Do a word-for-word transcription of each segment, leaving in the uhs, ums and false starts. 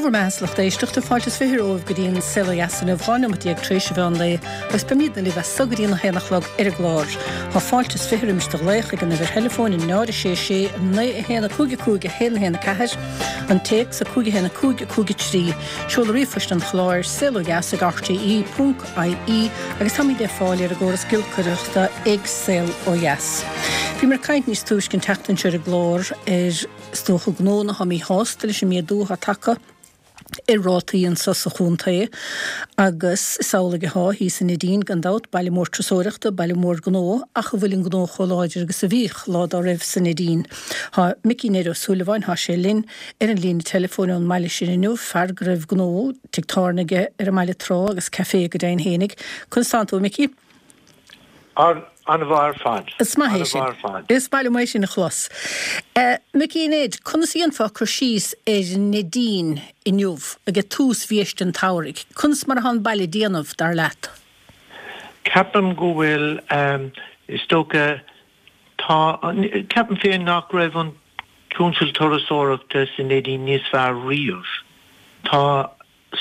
Dé bhur mbeatha, a lucht éisteachta, fáilte is fiche romhaibh go dtí an Saol Ó Dheas inniu, dhá neomat déag tar éis an mheán lae agus beimidne libh as so go dtí an a haon a chlog ar an gclár. Tá fáilte is fiche roimis do ghlaoch ag an uimhir theileafóin náid a sé sé naoi a haon a cúig a cúig a haon a haon a ceathair, an téacs a cúig a haon a cúig a cúig a trí, seoladh ríomhphoist an chláir, saolodheas ag rte ponc ie agus táimid le fáil ar an gcóras giolcaireachta ag Saol Ó Dheas. Bhíomar ag caint níos túisce an tseachtain seo ar an gclár ar is dócha gnónna atá míshásta leis an méadú atá tagtha ar rátaí anso sa chontae agus is amhlaidh atá thíos i Neidín gan dabht, baile mór turasóireachta, baile mór gnó ach an bhfuil an gnó chomh láidir agus a bhíodh lá dá raibh sa Neidín. Tá Micí Ned Ó Súilleabháin, tá sé linn ar an líne teileafóin ón mbaile sin inniu, fear go raibh gnó, tigh tábhairne aige ar an mbaile tráth agus caifé go deimhin fhéinig. Conas tánn tú, a Mhicí? An-mhaith ar fad. Is maith é sin. An-mhaith ar fad. Is maith liom é sin a chlos. Micí Ned, conas a dhéanfá cur síos ar Neidín inniu, ag tús bhiaiste an tsamhraidh? Conas mar atá an baile ag déanamh, dar leat? Ceapaim go bhfuil, is dócha, tá, ceapaim féin nach raibh an tionscal turasóireachta sa Neidín níos fearr riamh. Tá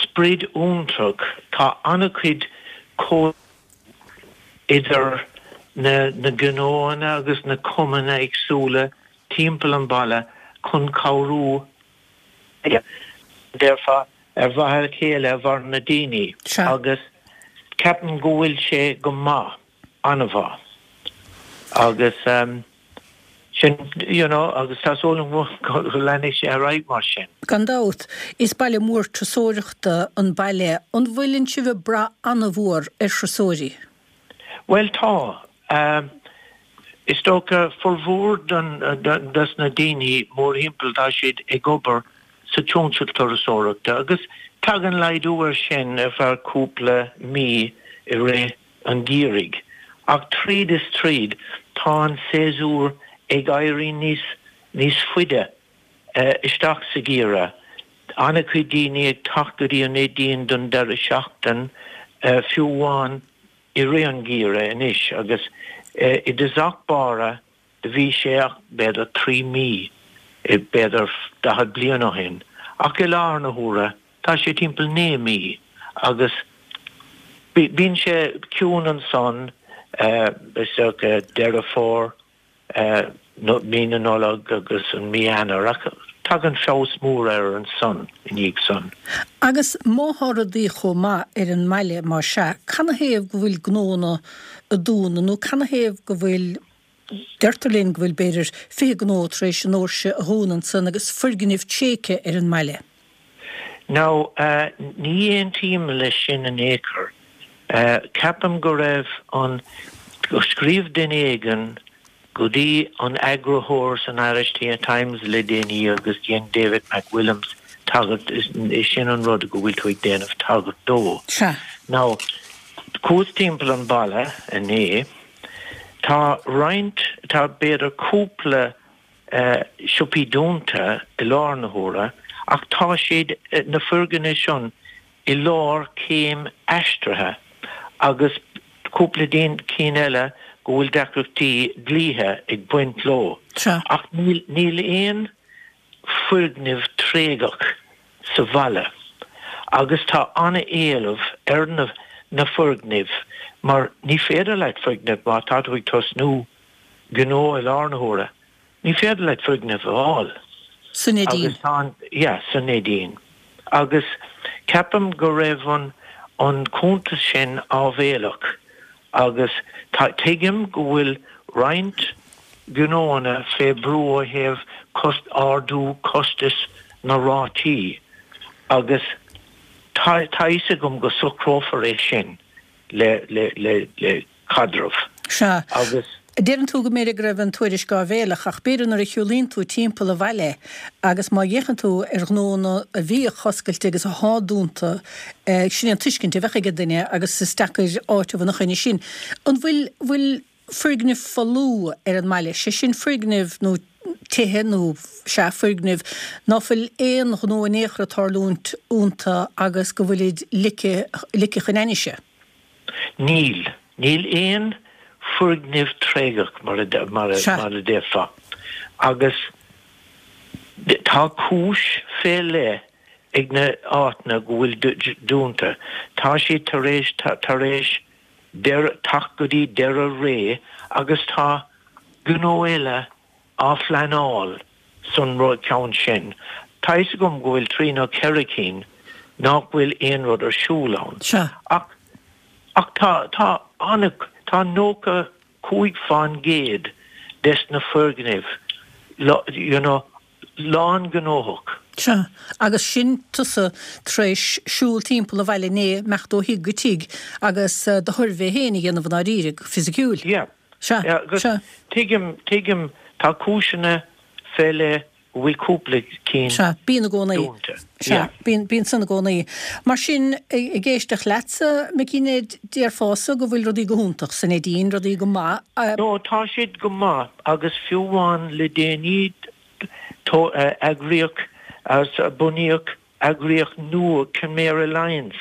sprid iontach, tá an-chuid comhoibriú idir na na gnóanna agus na cumainn éagsúla timpeall an bhaile chun cabhrú, déarfá, ar mhaithe le chéile mar na daoine Sea. agus ceapaim go bhfuil sé go maith, an-mhaith agus. Sin, you know, agus tá súil agam go leanfaidh sé ar aghaidh mar sin. Gan dabht, is baile mór turasóireachta an baile. An bhfuileann sibh ag brath an-mhór ar thurasóirí? Bhuel, tá. Is dócha, formhór den, des na daoine mórthimpeall, tá siad ag obair sa tionscal turasóireachta agus tagann laghdú air sin ar feadh cúpla mí i rith an gheimhridh, ach tríd is tríd tá an séasúr ag éirí níos níos faide isteach sa gheimhreadh. An-chuid daoine ag teacht go dtí an Neidín don deireadh seachtain, fiú amháin i rith an gheimhridh anois, agus i dtosach báire do bhí sé ach b'fhéidir trí mí, b'fhéidir daichead bliain ó shin, ach i láthair na huaire Tá sé timpeall naoi mí agus bíonn sé ciúin ansan is dócha Deireadh Fómhair, mí na Nollag agus an mí Eanáir ach tagann feabhas mór air ansan i ndiaidh san. Agus má thá rudaí chomh maith ar an mbaile má sea, canathaobh go bhfuil gnónna ag dúnadh nó canathaobh go bhfuil, deirtear linn go bhfuil b'fhéidir fiche gnó tar éis a ndoirse a dhúnadh ansan agus foirgnimh tréigthe ar an mbaile? Now, ní aontaím leis sin in aon chor. Ceapaim go raibh an, scríobh duine éigin go dtí an eagarthóir san Irish Times le déanaí agus dhein David McWilliams tagairt, is sin an rud go bhfuil tú ag déanamh tagairt dó. Sea. Now, chuas timpeall an bhaile inné, tá roinnt, tá b'fhéidir cúpla siopaí dúnta i láthair na huaire ach tá siad, na foirgnimh sin, i lár céim aistrithe agus cúpla cinn eile go bhfuil deacrachtaí dlíthe ag baint leo. Sea. Ach níl, níl aon foirgneamh tréigeach sa bhaile agus tá an-éileamh ar na, na foirgnimh mar ní féidir leat foirgneamh má tá tú ag tosnú gnó i láthair na huaire, Ní féidir leat foirgneamh a fháil. Sa Neidín. Agus tá an, yeah, sa Neidín. Agus ceapaim go raibh an, an cuntas sin áibhéalach agus tá, tuigim go bhfuil roinnt gnóanna fé brú ó thaobh cost, ardú costais na rátaí agus tá, tá fhios agam go socrófar é sin le, le, le, le caidreamh. Sea. Agus. Deireann tú go mb'fhéidir go raibh an tuairisc áibhéalach, ach b'fhéidir nuair a shiúlaíonn tú timpeall an bhaile agus má fhéachann tú ar ghnónna a bhíodh oscailte agus athá dúnta, sin é an tuiscint a bheadh ag an duine agus is deacair áiteamh ina choinne sin. An bhfuil, bhfuil foirgnimh folamh ar an mbaile, sé sin foirgnimh nó tithe nó, sea, foirgnimh ná fuil aon ghnó in aon chor ag tarlúint iontu agus go bhfuilid ligthe, ligthe chun ainnise? Níl. Níl aon foirgneamh tréigeach, mar a déarfá. Agus tá cúis fé leith ag na áiteanna go bhfuil dúnta. Tá siad tar éis tar éis teacht go dtí deireadh ré agus tá gnó eile á phleanáil san rud ceann sin. Tá fhios agam go bhfuil trí nó ceithre cinn nach bhfuil aon rud ar siúl ann. Sea. Ach ach tá tá ana tá nócha cúig fán gcéad des na foirgnimh you know lán gnóthach. Sea, agus sin tusa tar éis siúl timpeall an bhaile inné, imeacht ó thigh go tigh agus do shuirbhé féin a dhéanamh i ndáiríre, go fisiciúil. Yeah. Sea, Yeah, agus sea. tuigim, tuigim, tá cúiseanna fé leith go bhfuil cúpla cinn Sea, bíonn i gcónaí. dúnta. Sea, Yeah. bíonn, bíonn san i gcónaí. Mar sin, ag éisteacht leatsa, Micí Ned, déarfása go bhfuil rudaí go hiontach sa Neidín, rudaí go maith. No, tá siad go maith agus fiú amháin le déanaí eagraíodh, bunaíodh eagraíocht nua, Kenmare Alliance,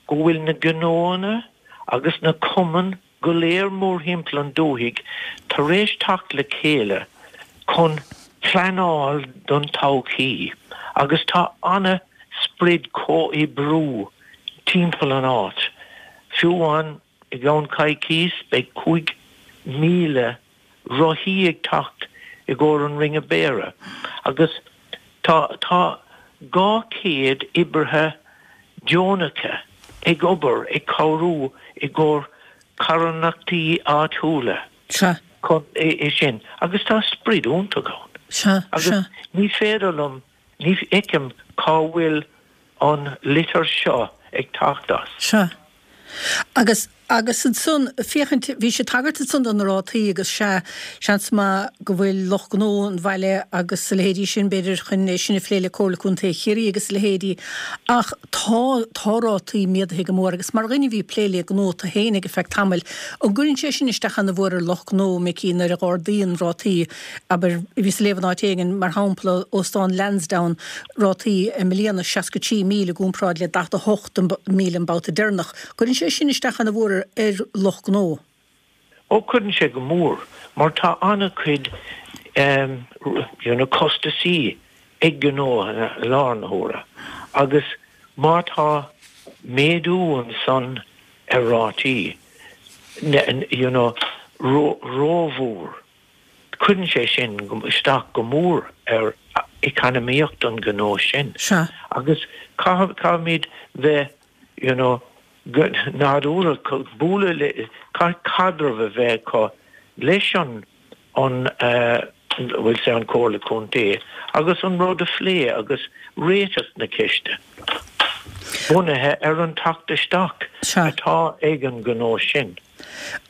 go bhfuil na gnóanna agus na cumainn go léir mórthimpeall an dúthaigh tar éis teacht le chéile chun pleanáil don todhchaí agus tá ana sprid comhoibriú timpeall an áit. Fiú amháin i gceann coicís beidh cúig míle rothaí ag teacht i gcomhair an Ring of Beara agus tá tá dhá chéad oibrithe deonacha ag obair ag cabhrú i gcomhair carthanachtaí áitiúla Sea. chun é sin agus tá sprid iontach ann. Sea, Agus sea. ní féidir liom, ní fheicim cá bhfuil an litir seo ag teacht as. Sea. Agus, agus ansan, féachaint, bhí sé tagairt ansan do na rátaí agus sea, seans maith go bhfuil lucht gnó an bhaile agus a leithéidí sin, b'fhéidir chun é sin a phlé le Comhairle Contae Chiarraí agus a leithéidí, ach tá, tá rátaí méadaithe go mór agus mar dhuine a bhí ag plé le gnó tú féin ag feadh tamaill, an gcuireann sé sin isteach ana mhór ar lucht gnó, Micí, nuair a ardaíonn rátaí, abair, bhíos ag léamh in áit éigin, mar shampla, Óstán Lansdowne, rátaí i mbliana seasca trí míle i gcomparáid le daichead a hocht míle an babhta deireanach. Cuireann sé sin isteach ana mhór ar lucht gnó. Ó cuireann sé go mór, mar tá an-chuid you know costasaí ag gnó i lár na huaire agus má tá méadú ansan ar rátaí you know rómhór, cuireann sé sin isteach go mór ar eacnamaíocht an gnó sin. Sea. Agus caithfimid bheith you know nádúrtha, bualadh le, caithfidh caidreamh a bheith acu leis an an bhfuil sé an Comhairle Contae agus an rud a phlé agus réiteach na ceiste bunaithe ar an teacht isteach atá ag an gnó sin.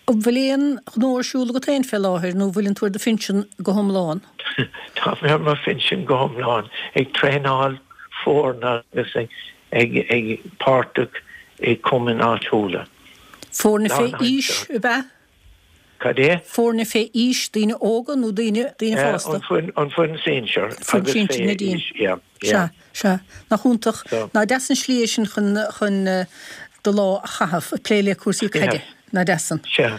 An bhfuil aon ghnó ar siúl agat féin fé láthair nó bhfuileann tú ar do phinsean go hiomlán? Tá mé ar mo phinsean go hiomlán, ag traenáil foirne agus ag ag ag páirteach i cumainn áitiúla. Foirne fé aois, ab ea? Cad é? Foirne fé aois, daoine óga nó daoine daoine fásta? An foireann an foireann sinsear Foireann agus sinsear fé Neidín. aois, yeah, Sea, yeah. sea. Nach iontach, So. nach deas an slí é sin chun chun do lá a chaitheamh, ag plé le cúrsaí caide. Yeah. Nach deas san. Sea.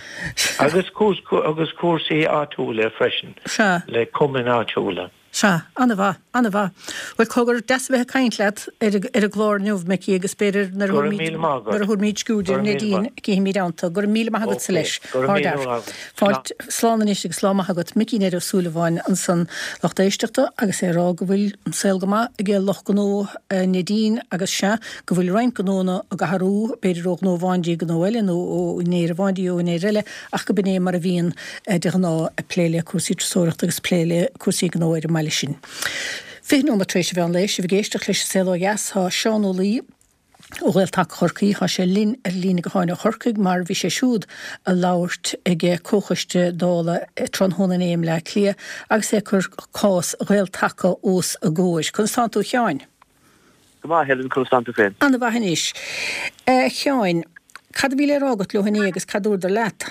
Agus cúrs agus cúrsaí áitiúla freisin. Sea. Le cumainn áitiúla. Sea, ana-mhaith, ana-mhaith. Bhuel, cogar, deas a bheith ag caint leat ar ar an gclár inniu, Micí, agus b'fhéidir nuair a Go raibh thabharfaimid míle maith agat. nuair a thabharfaimid sciuird Go ar raibh míle Neidín, maith. cífimid ann. Go raibh míle maith agatsa Ok, leis. go raibh Thar míle lear. maith agat. Fáilte, slán anois agus slán maith agat. Micí Ned Ó Súilleabháin ansan lucht éisteachta agus é ag rá go bhfuil an saol go maith ag lucht gnó Neidín agus sea, go bhfuil roinnt gnónna ag athrú, b'fhéidir ó ghnó amháin dtí gnó eile nó ó úinéir amháin dtí úinéir eile, ach go b'in é mar a bhíonn de ghnáth ag plé le cúrsaí turasóireachta agus plé le cúrsaí gnó ar an mbaile sin. Fiche nóiméad tar éis a mheán lae, sibh ag éisteacht leis an Saol Ó Dheas, tá Seán Ó Laoi ó Ghael-Taca Chorcaí, tá sé linn ar líne gutháin ó Chorcaigh mar bhí sé siúd ag labhairt ag Comhchoiste Dála tráthnóna inné i mBleá Cliath agus é ag cur cás Ghael-Taca os a gcomhair. Conas tánn tú a Sheáin? Go maith, Helen, conas tánn tú féin? Ana-mhaith anois. A Sheáin, cad a bhí le rá agat leo inné agus cad dúradar leat?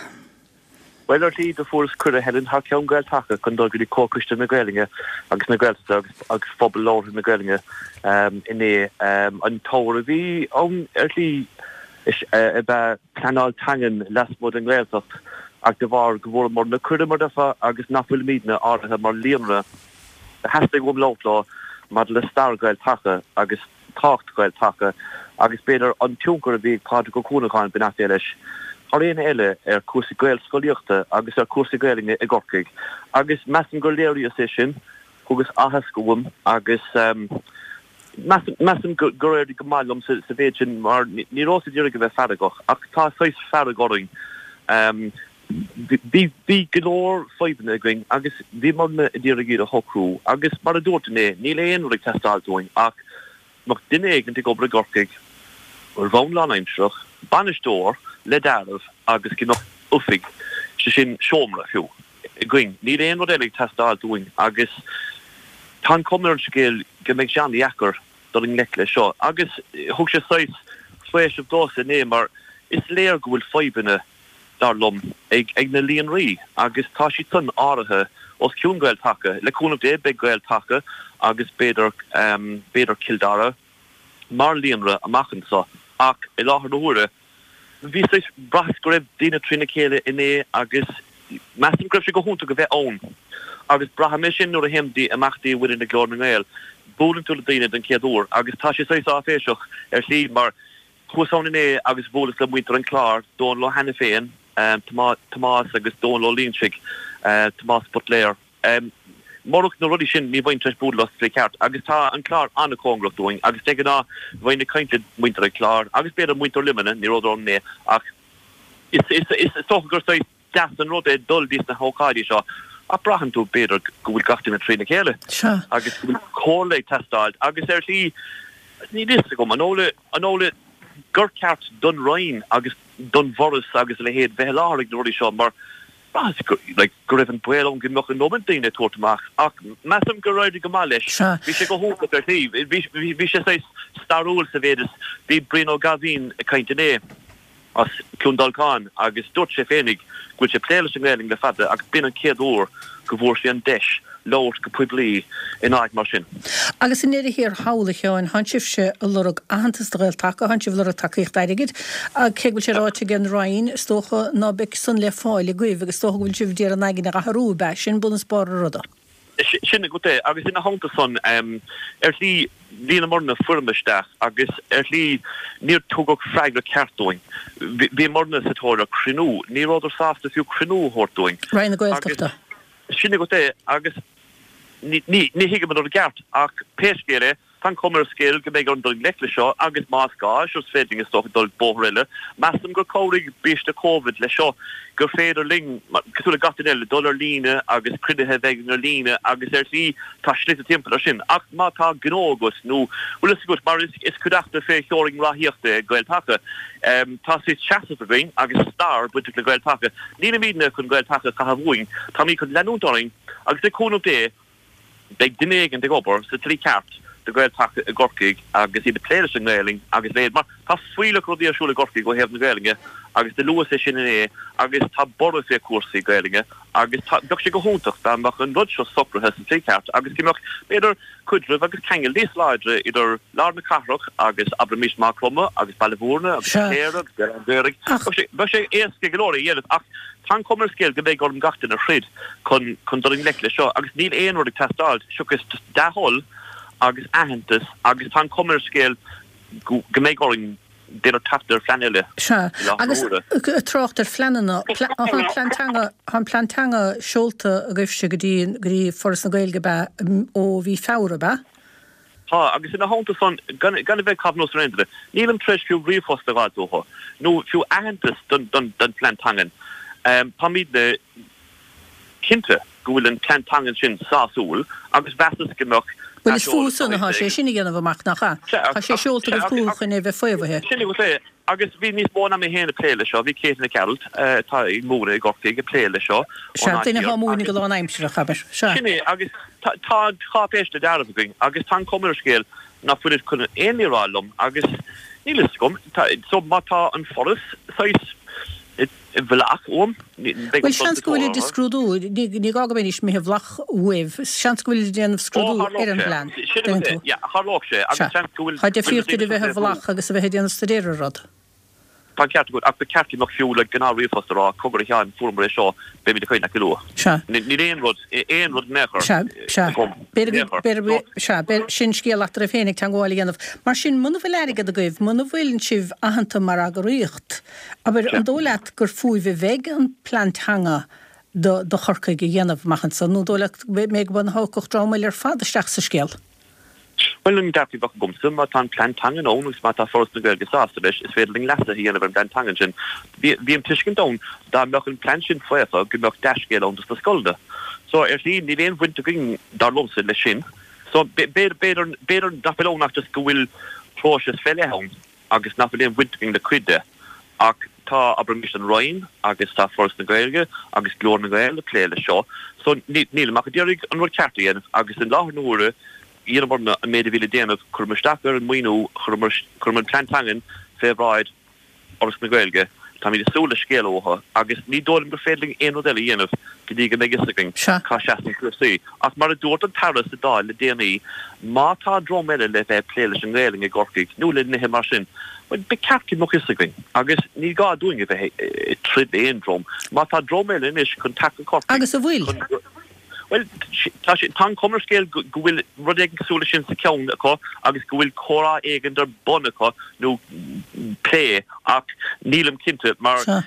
Bhuel, ar shlí, do fuaireas cuireadh, Helen, thar ceann Gael-Taca chun dul go dtí Comhchoiste na Gaelainne agus na Gaeltachta agus agus phobal labhartha na Gaelainne inné. An t-ábhar a bhí ann, ar shlí, is ab ea pleanáil teangan lasmuigh den nGaeltacht ach de bharr go bhfuaireamar na cuireadh, mar déarfá, agus nach bhfuilimidne áirithe mar líonra, theastaigh uaim labhairt leo maidir le stair Gael-Taca agus tábhacht Ghael-Taca agus b'fhéidir an tionchar a bhí ag Pádraig Ó Cuanacháin beannacht Dé leis thar éinne eile ar cúrsaí Gaelscolaíochta agus ar cúrsaí Gaelainne i gCorcaigh agus measaim gur léiríodh é sin, thugas aitheasc uaim agus measaim gur éirigh go maith liom sa mhéid sin mar ní rabhas ag iarraidh a bheith feargach ach tá saghas fearg orainn. Bhí bhí go leor fadhbanna againn agus bhíomarna ag iarraidh iad a shocrú agus mar a dúirt inné, níl aon rud ag teastáilt uainn ach mbeadh duine éigin ag obair i gCorcaigh ar bhonn lánaimsearach, bainisteoir le dealramh agus go mbeadh oifig, sé sin seomra fiú, againn. Níl aon rud eile ag teastáilt uainn agus tá an chuma ar an scéal go mbeidh sé an-dheacair dul i ngleic leis seo. Agus thug sé saghas faoiseamh domhsa inné mar is léir go bhfuil fadhbanna, dar liom, ag ag na líonraí agus tá siad san áirithe os cionn Gael-Taca. Le cúnamh Dé beidh Gael-Taca agus b'fhéidir b'fhéidir Cill Dara mar líonra amach anseo ach i láthair na huaire bhí saghas bhraitheas go raibh daoine trína chéile inné agus measaim go raibh sé go hiontach a bheith ann agus braithim é sin nuair a théim dtí imeachtaí a bhaineann le Glór na nGael buaileann tú le daoine den chéad uair agus tá sé saghas áiféiseach ar shlí mar chuas ann inné agus bhuaileas le muintir an Chláir, Dónal Ó hAiniféin, Tomás agus Dónal Ó Loingsigh, Tomás Buitléar. Murach na rudaí sin ní bheinn tar éis bualadh leo sa tslí cheart agus tá an Clár an-chóngarach dúinn agus de ghnáth bheinn ag caint le muintir an Chláir agus b'fhéidir muintir Luimnigh, ní rabhadar ann inné ach is dócha gur saghas deas an rud é dul dtí na hócáidí seo ach braitheann tú b'fhéidir go bhfuil gach duine trína chéile agus go bhfuil comhairle ag teastáilt agus ar shlí níl fhios agam an amhlaidh gur ceart don Roinn agus don bhForas agus a leithéid bheith i láthair ag na rudaí seo mar braitheas like, go raibh an baol ann go mbeadh an iomad daoine ag tabhairt amach ach measaim gur éirigh go maith leis. Bhí sé go hiontach ar shlí. Bhí sé saghas stairiúil sa mhéid is bhí Brian Ó Gaibhín ag caint inné. as Cluain Dolcáin agus dúirt sé féinig go bhfuil sé ag plé leis an nGaelainn le fada agus b'in an chéad uair go bhfuair sé an deis labhairt go poiblí in áit mar sin. Agus i ndeireadh thiar thall, a Sheáin, thánn sibhse ag lorg aitheantas do Ghael-Taca, thánn sibh ag lorg tacaíocht airgid, cé go bhfuil sé ráite ag an Roinn, is dócha ná beidh san le fáil agaibh agus is dócha go bhfuil sibh d'iarraidh an aigne a athrú, ab ea? Sin bun is barr an ruda. Sin agat é. Agus ina theannta san, ar shlí, líonamarna foirm isteach agus ar shlí níor tugadh freagra ceart dúinn. Bhíomarna sa tóir ar chruinniú. Ní rabhadar sásta fiú cruinniú a thabhairt dúinn. Roinn na Gaeltachta. Sin agat é. Agus ní thuigim an rud i gceart ach pé scéal é, Tá an chuma ar an scéal go mbeidh orainn dul i ngleic leis seo agus más gá, sure is féidir linn is dócha dul bóthar eile. Measaim gur chabhraigh biaiste Covid leis seo, gur féidir linn, cosúil le gach duine eile, dul ar líne agus cruinnithe a bheith againn ar líne agus ar shlí tá slite timpeall ar sin. Ach má tá gnó agat nó, bhfuil fhios agat, mar is cuideachta fé theorainn ráthaíochta é Gael-Taca, tá saghas seasamh againn agus stair bainteach le Gael-Taca. Nílimidne chun Gael-Taca a chaitheamh uainn, táimid chun leanúint orainn agus le cúnamh Dé, Beidh duine éigin ag obair sa tslí ceart do Ghael-Taca i gCorcaigh agus iad ag plé leis an nGaelainn agus a leithéid mar tá fuílleach rudaí ar siúl i gCorcaigh ó thaobh na Gaelainne agus do luas é sin inné agus tá borradh fé chúrsaí Gaelainne agus tá bheadh sé go hiontach dá mbeadh an rud seo socraithe sa tslí ceart agus go mbeadh b'fhéidir cuidreamh agus ceangal níos láidre idir lár na cathrach agus abraimis Maigh Chromtha agus Baile Bhúirne agus Cléire agus Béal Átha an Ghaorthaidh. Bheadh sé éasca go leor é a dhéanamh ach Tá an chuma ar an scéal go mbeidh orainn gach duine a throid chun chun dul i ngleic leis seo agus níl aon rud ag teastáilt seachas just dea-thoil agus aitheantas agus tá an chuma ar an scéal go go mbeidh orainn b'fhéidir teacht ar phlean eile Sea, i láthair na agus huaire. ag trácht ar phleananna, tá an plean teanga, tá an plean teanga seolta agaibhse go dtí go dtí Foras na Gaeilge ab ea ó mhí Feabhra, ab ea? Tá, agus ina theannta san, gan a bheith ag caitheamh anuas ar aon duine, nílim tar éis fiú ríomhphost a fháilt uathu, nó fiú aitheantas don phlean teangan. Táimidne cinnte go bhfuil an plean teangan sin sásúil agus mheasas go mbeadh Bhuel, is fúthu-san atá sé sin a dhéanamh amach, nach ea? Tá sé seolta agaibh chucu chun é a bheith faomhaithe. Sin agat é. Agus bhí níos mó ná mé féin ag plé leis seo, bhí Katie Nic Gearailt, atá ag múineadh i gCorcaigh, ag plé leis seo Sea, ón áit duine thiar atá ag múineadh agus. go lánaimsearach, abair. Sea. Sin é, agus tá tá an cháipéis le dealramh againn agus tá an chuma ar an scéal ná fuilid chun aon ní a rá liom agus níl fhios agam, tá, so má tá an Foras saghas i bhfolach uaim, beidh Bhuel, orm dul seans sa go tóir bhfuilid ag orthu. scrúdú, ní ní gá go mbeidís imithe i bhfolach uaibh, seans go bhfuilid ag déanamh Ó, scrúdú tharlódh ar an sé. bplean, Sin dtuigeann agat é, tú. yeah, tharlódh sé, Sea. agus seans go bhfuil Tá go bhfuil na difríocht daoine idir a seo bheith i fé bhrú. bhfolach agus a bheith ag déanamh staidéir ar rud. Tá an ceart agat, ach ba cheart go mbeadh fiú le gnáth ríomhphost a rá, cogar a Sheáin, fuaireamar é seo, beimid ag caint leat go luath. Sea. Níl aon rud, aon rud in aon chor Sea, sea. agam, in aon chor. B'fhéidir, sea, b'fhéidir, sin scéal eatarthu féin ag teagmháil a dhéanamh. Mar sin, muna bhfuil airgead agaibh, muna bhfuil sibh aitheanta mar eagraíocht, abair, Sea. an dóigh leat gur fúibh a bheidh an plean teanga do, do Chorcaigh a dhéanamh amach anso, nó an dóigh leat go mbeidh, go dtiocfadh dream eile ar fad isteach sa scéal? Bhuel, an dearcadh a bheadh agamsa, má tá an plean teangan ann agus má tá Foras na Gaeilge sásta leis, is féidir linn leasuithe a dhéanamh ar an bplean teangan sin. Bhí an tuiscint ann dá mbeadh an plean sin faofa go mbeadh dea-scéal ann dos na scoileanna. So, ar shlí, níl aon bhaint againn, dar liomsa, leis sin. So, b'fhéidir, b'fhéidir nach bhfuil ann ach just go bhfuil próiseas fé leith ann agus nach bhfuil aon bhaint againn le cuid de. Ach tá, abraimis, an Roinn agus tá Foras na Gaeilge agus Glór na nGael ag plé leis seo. So, nílim ach ag iarraidh an rud ceart a dhéanamh agus i láthair na huaire, dheineamarna an méid a bhí le déanamh, chuireamar isteach ar an maoiniú, chuireamar chuireamar an plean teangan fé bhráid Fhoras na Gaeilge, táimid ag súil le scéala uathu agus ní dóigh liom gur féidir linn aon rud eile a dhéanamh go dtí go mbeidh fhios againn Sea. cá seasann cúrsaí. Ach mar a dúirt an tAire sa Dáil le déanaí, má tá dream eile le bheith ag plé leis an nGaelainn i gCorcaigh nó le nithe mar sin, bhuel, ba cheart go mbeadh fhios againn agus ní gá dúinn a bheith ag troid le aon dream. Má tá dream eile anois chun teacht go Corcaigh Agus a bhfuil? chun Bhuel, tá sé, tá an chuma ar an scéal go bhfuil rud éigin cosúil leis sin sa cheann acu agus go bhfuil comhrá éigin ar bun acu nó plé ach nílim cinnte mar Sea.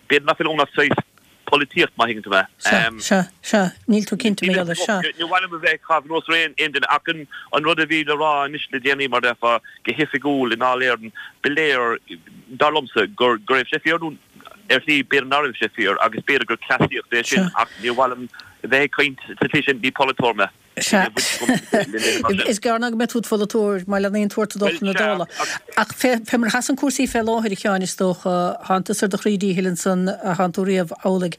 b'fhéidir nach bhfuil ann ach saghas polaitíocht má thuigeann tú mé. Sea, sea, sea, níl tú cinnte mar gheall air, sea. Ní mhaith liom a bheith ag caitheamh anuas ar aon duine ach an an rud a bhí le rá anois le déanaí mar a déarfá go hoifigiúil i nDáil Éireann ba léir dar liomsa gur go raibh sé fíor nó ar shlí b'fhéidir nach raibh sé fíor agus b'fhéidir gur cleasaíocht é sin Sea. ach ní mhaith liom a bheith ag caint sa tslí sin, ní polaiteoir mé. Sea. Níl baint agam le nithe mar sin. Is gearr ná go mbeidh tú i do pholaiteoir má leanaíonn tú ort ag dul Bhuel, chun na sea, Dála. ach. Ach fé fé mar a sheasann cúrsaí fé láthair, a Sheáin, is dócha, thánn tusa ar do chroí díchill ansan a thánn tú riamh amhlaidh.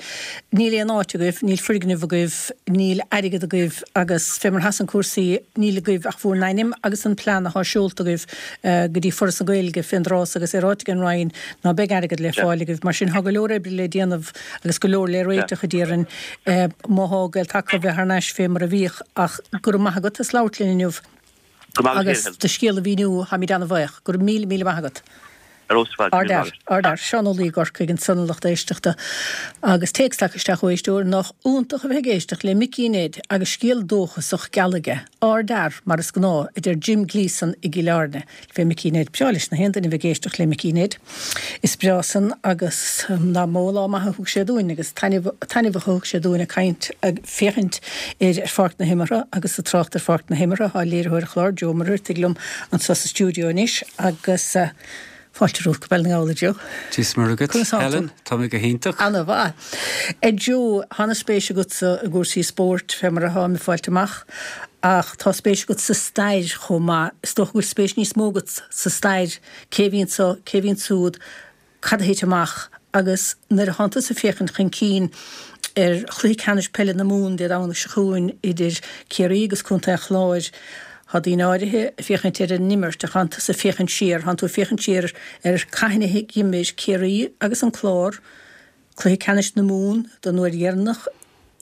Níl aon áit agaibh, níl foirgneamh agaibh, níl airgead agaibh agus fé mar a sheasann cúrsaí níl agaibh ach bhur n-ainm agus an plean athá seolta agaibh go dtí Foras na Gaeilge fén dtráth so agus é ráite ag an Roinn ná beidh airgead le Sea. fáil agaibh. Mar sin, thá go leor oibre le déanamh agus go leor le Sea. réiteach a déarfainn má thá Gael Taca bheith thar n-ais fé mar a bhíodh ach go raibh maith agat as labhairt linn inniu Go maith agus agat féin. do scéal a mhíniú, táimid ana-bhuíoch. Go raibh míle míle maith agat. Ar fheabhas ar fad, Ard míle fhear, maith. ard fhear. Seán Ó Laoi i gCorcaigh ansan a lucht éisteachta agus téacs tagtha isteach ó éisteoir nach iontach a bheith ag éisteacht le Micí Ned agus scéal dóchasach geal aige. Ard fhear, mar is gnáth, a deir Jim Gleeson i gCill Airne. Fé Micí Ned. Breá leis na haon duine a bheith ag éisteacht le Micí Ned. Is breá san agus nach mó lá maith a thug sé dúinn agus taitneamh taitneamh a thug sé dúinn ag caint ag féachaint ar ar pháirc na himeartha agus ag trácht ar pháirc na himeartha tá léiritheoir an chláir Joe Ó Muircheartaigh liom anseo sa stiúideo anois agus fáilte romhat go Béal na nGall a Joe. Dia is Muire dhuit, Conas tá tú? Helen, tá mé go hiontach. Ana-mhaith. A Joe, tá an-spéis agatsa i gcúrsaí spóirt fé mar atá mé ag fáilt amach ach tá spéis agat sa stair chomh maith. Is dócha go bhfuil spéis níos mó agat sa stair, cé a bhí anseo, cé a bhí ansiúd, cad a thit amach agus nuair a thánn tusa ag féachaint chun cinn ar chluiche ceannais peile na Mumhan Dé Domhnaigh seo chugainn idir Ciarraí agus Contae an Chláir, Tá daoine áirithe ag féachaint ar an imirt ach thánn tusa ag féachaint siar, thánn tú ag féachaint siar ar cathain a d'imir Ciarraí agus an Clár cluiche ceannais na Mumhan don uair dheireanach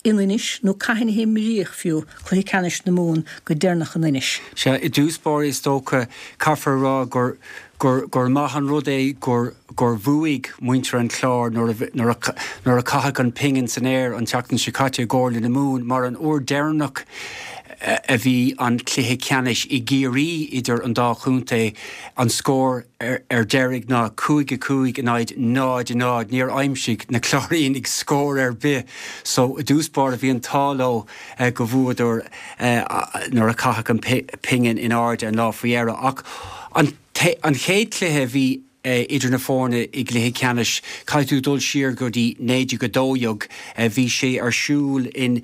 in Inis, nó cathain a himríodh fiú cluiche ceannais na Mumhan go deireanach in Inis. Sea, i dtús báire is dócha, caithfear a rá gur gur gur maith an rud é gur gur bhuaigh muintir an Chláir nuair a nuair a nuair a caitheadh an pingin san aer an tseachtain seo caite i gComhairle na Mumhan mar an uair deireanach a bhí an cluiche ceannais i gCiarraí idir an dá chontae, an scór ar deireadh ná cúig a cúig in aghaidh náid a náid. Níor aimsigh na Cláirínigh scór ar bith so i dtús báire bhí an t-ádh leo go bhuadar nuair a caitheadh an pingin in airde an lá faoi dheireadh. Ach an an chéad chluiche a bhí idir na foirne i gcluiche ceannais, caithfidh tú dul siar go dtí naoi déag a dó dhéag. Bhí sé ar siúl in,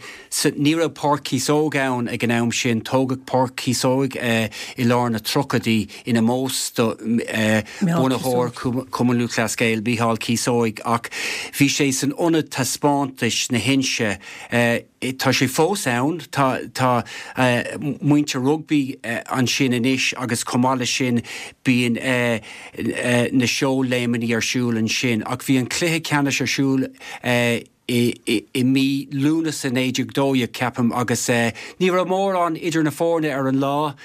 ní raibh Páirc Chíosóg ann ag an am sin, tógadh Páirc Chíosóg i lár na tríochaidí in ómós do bhunaitheoir Chumann Lúthchleas Gael, Mícheál Cíosóig, ach bhí sé san Ionad Taispeántais na hInse. Tá sé fós ann, tá tá muintir rugbaí ansin anois agus chomh maith leis sin bíonn na seóléimeanna ar siúl ansin. Ach bhí an cluiche ceannais ar siúl i mí Lúnasa naoi déag dó dhéag, ceapaim, agus ní raibh mórán idir na foirne ar an lá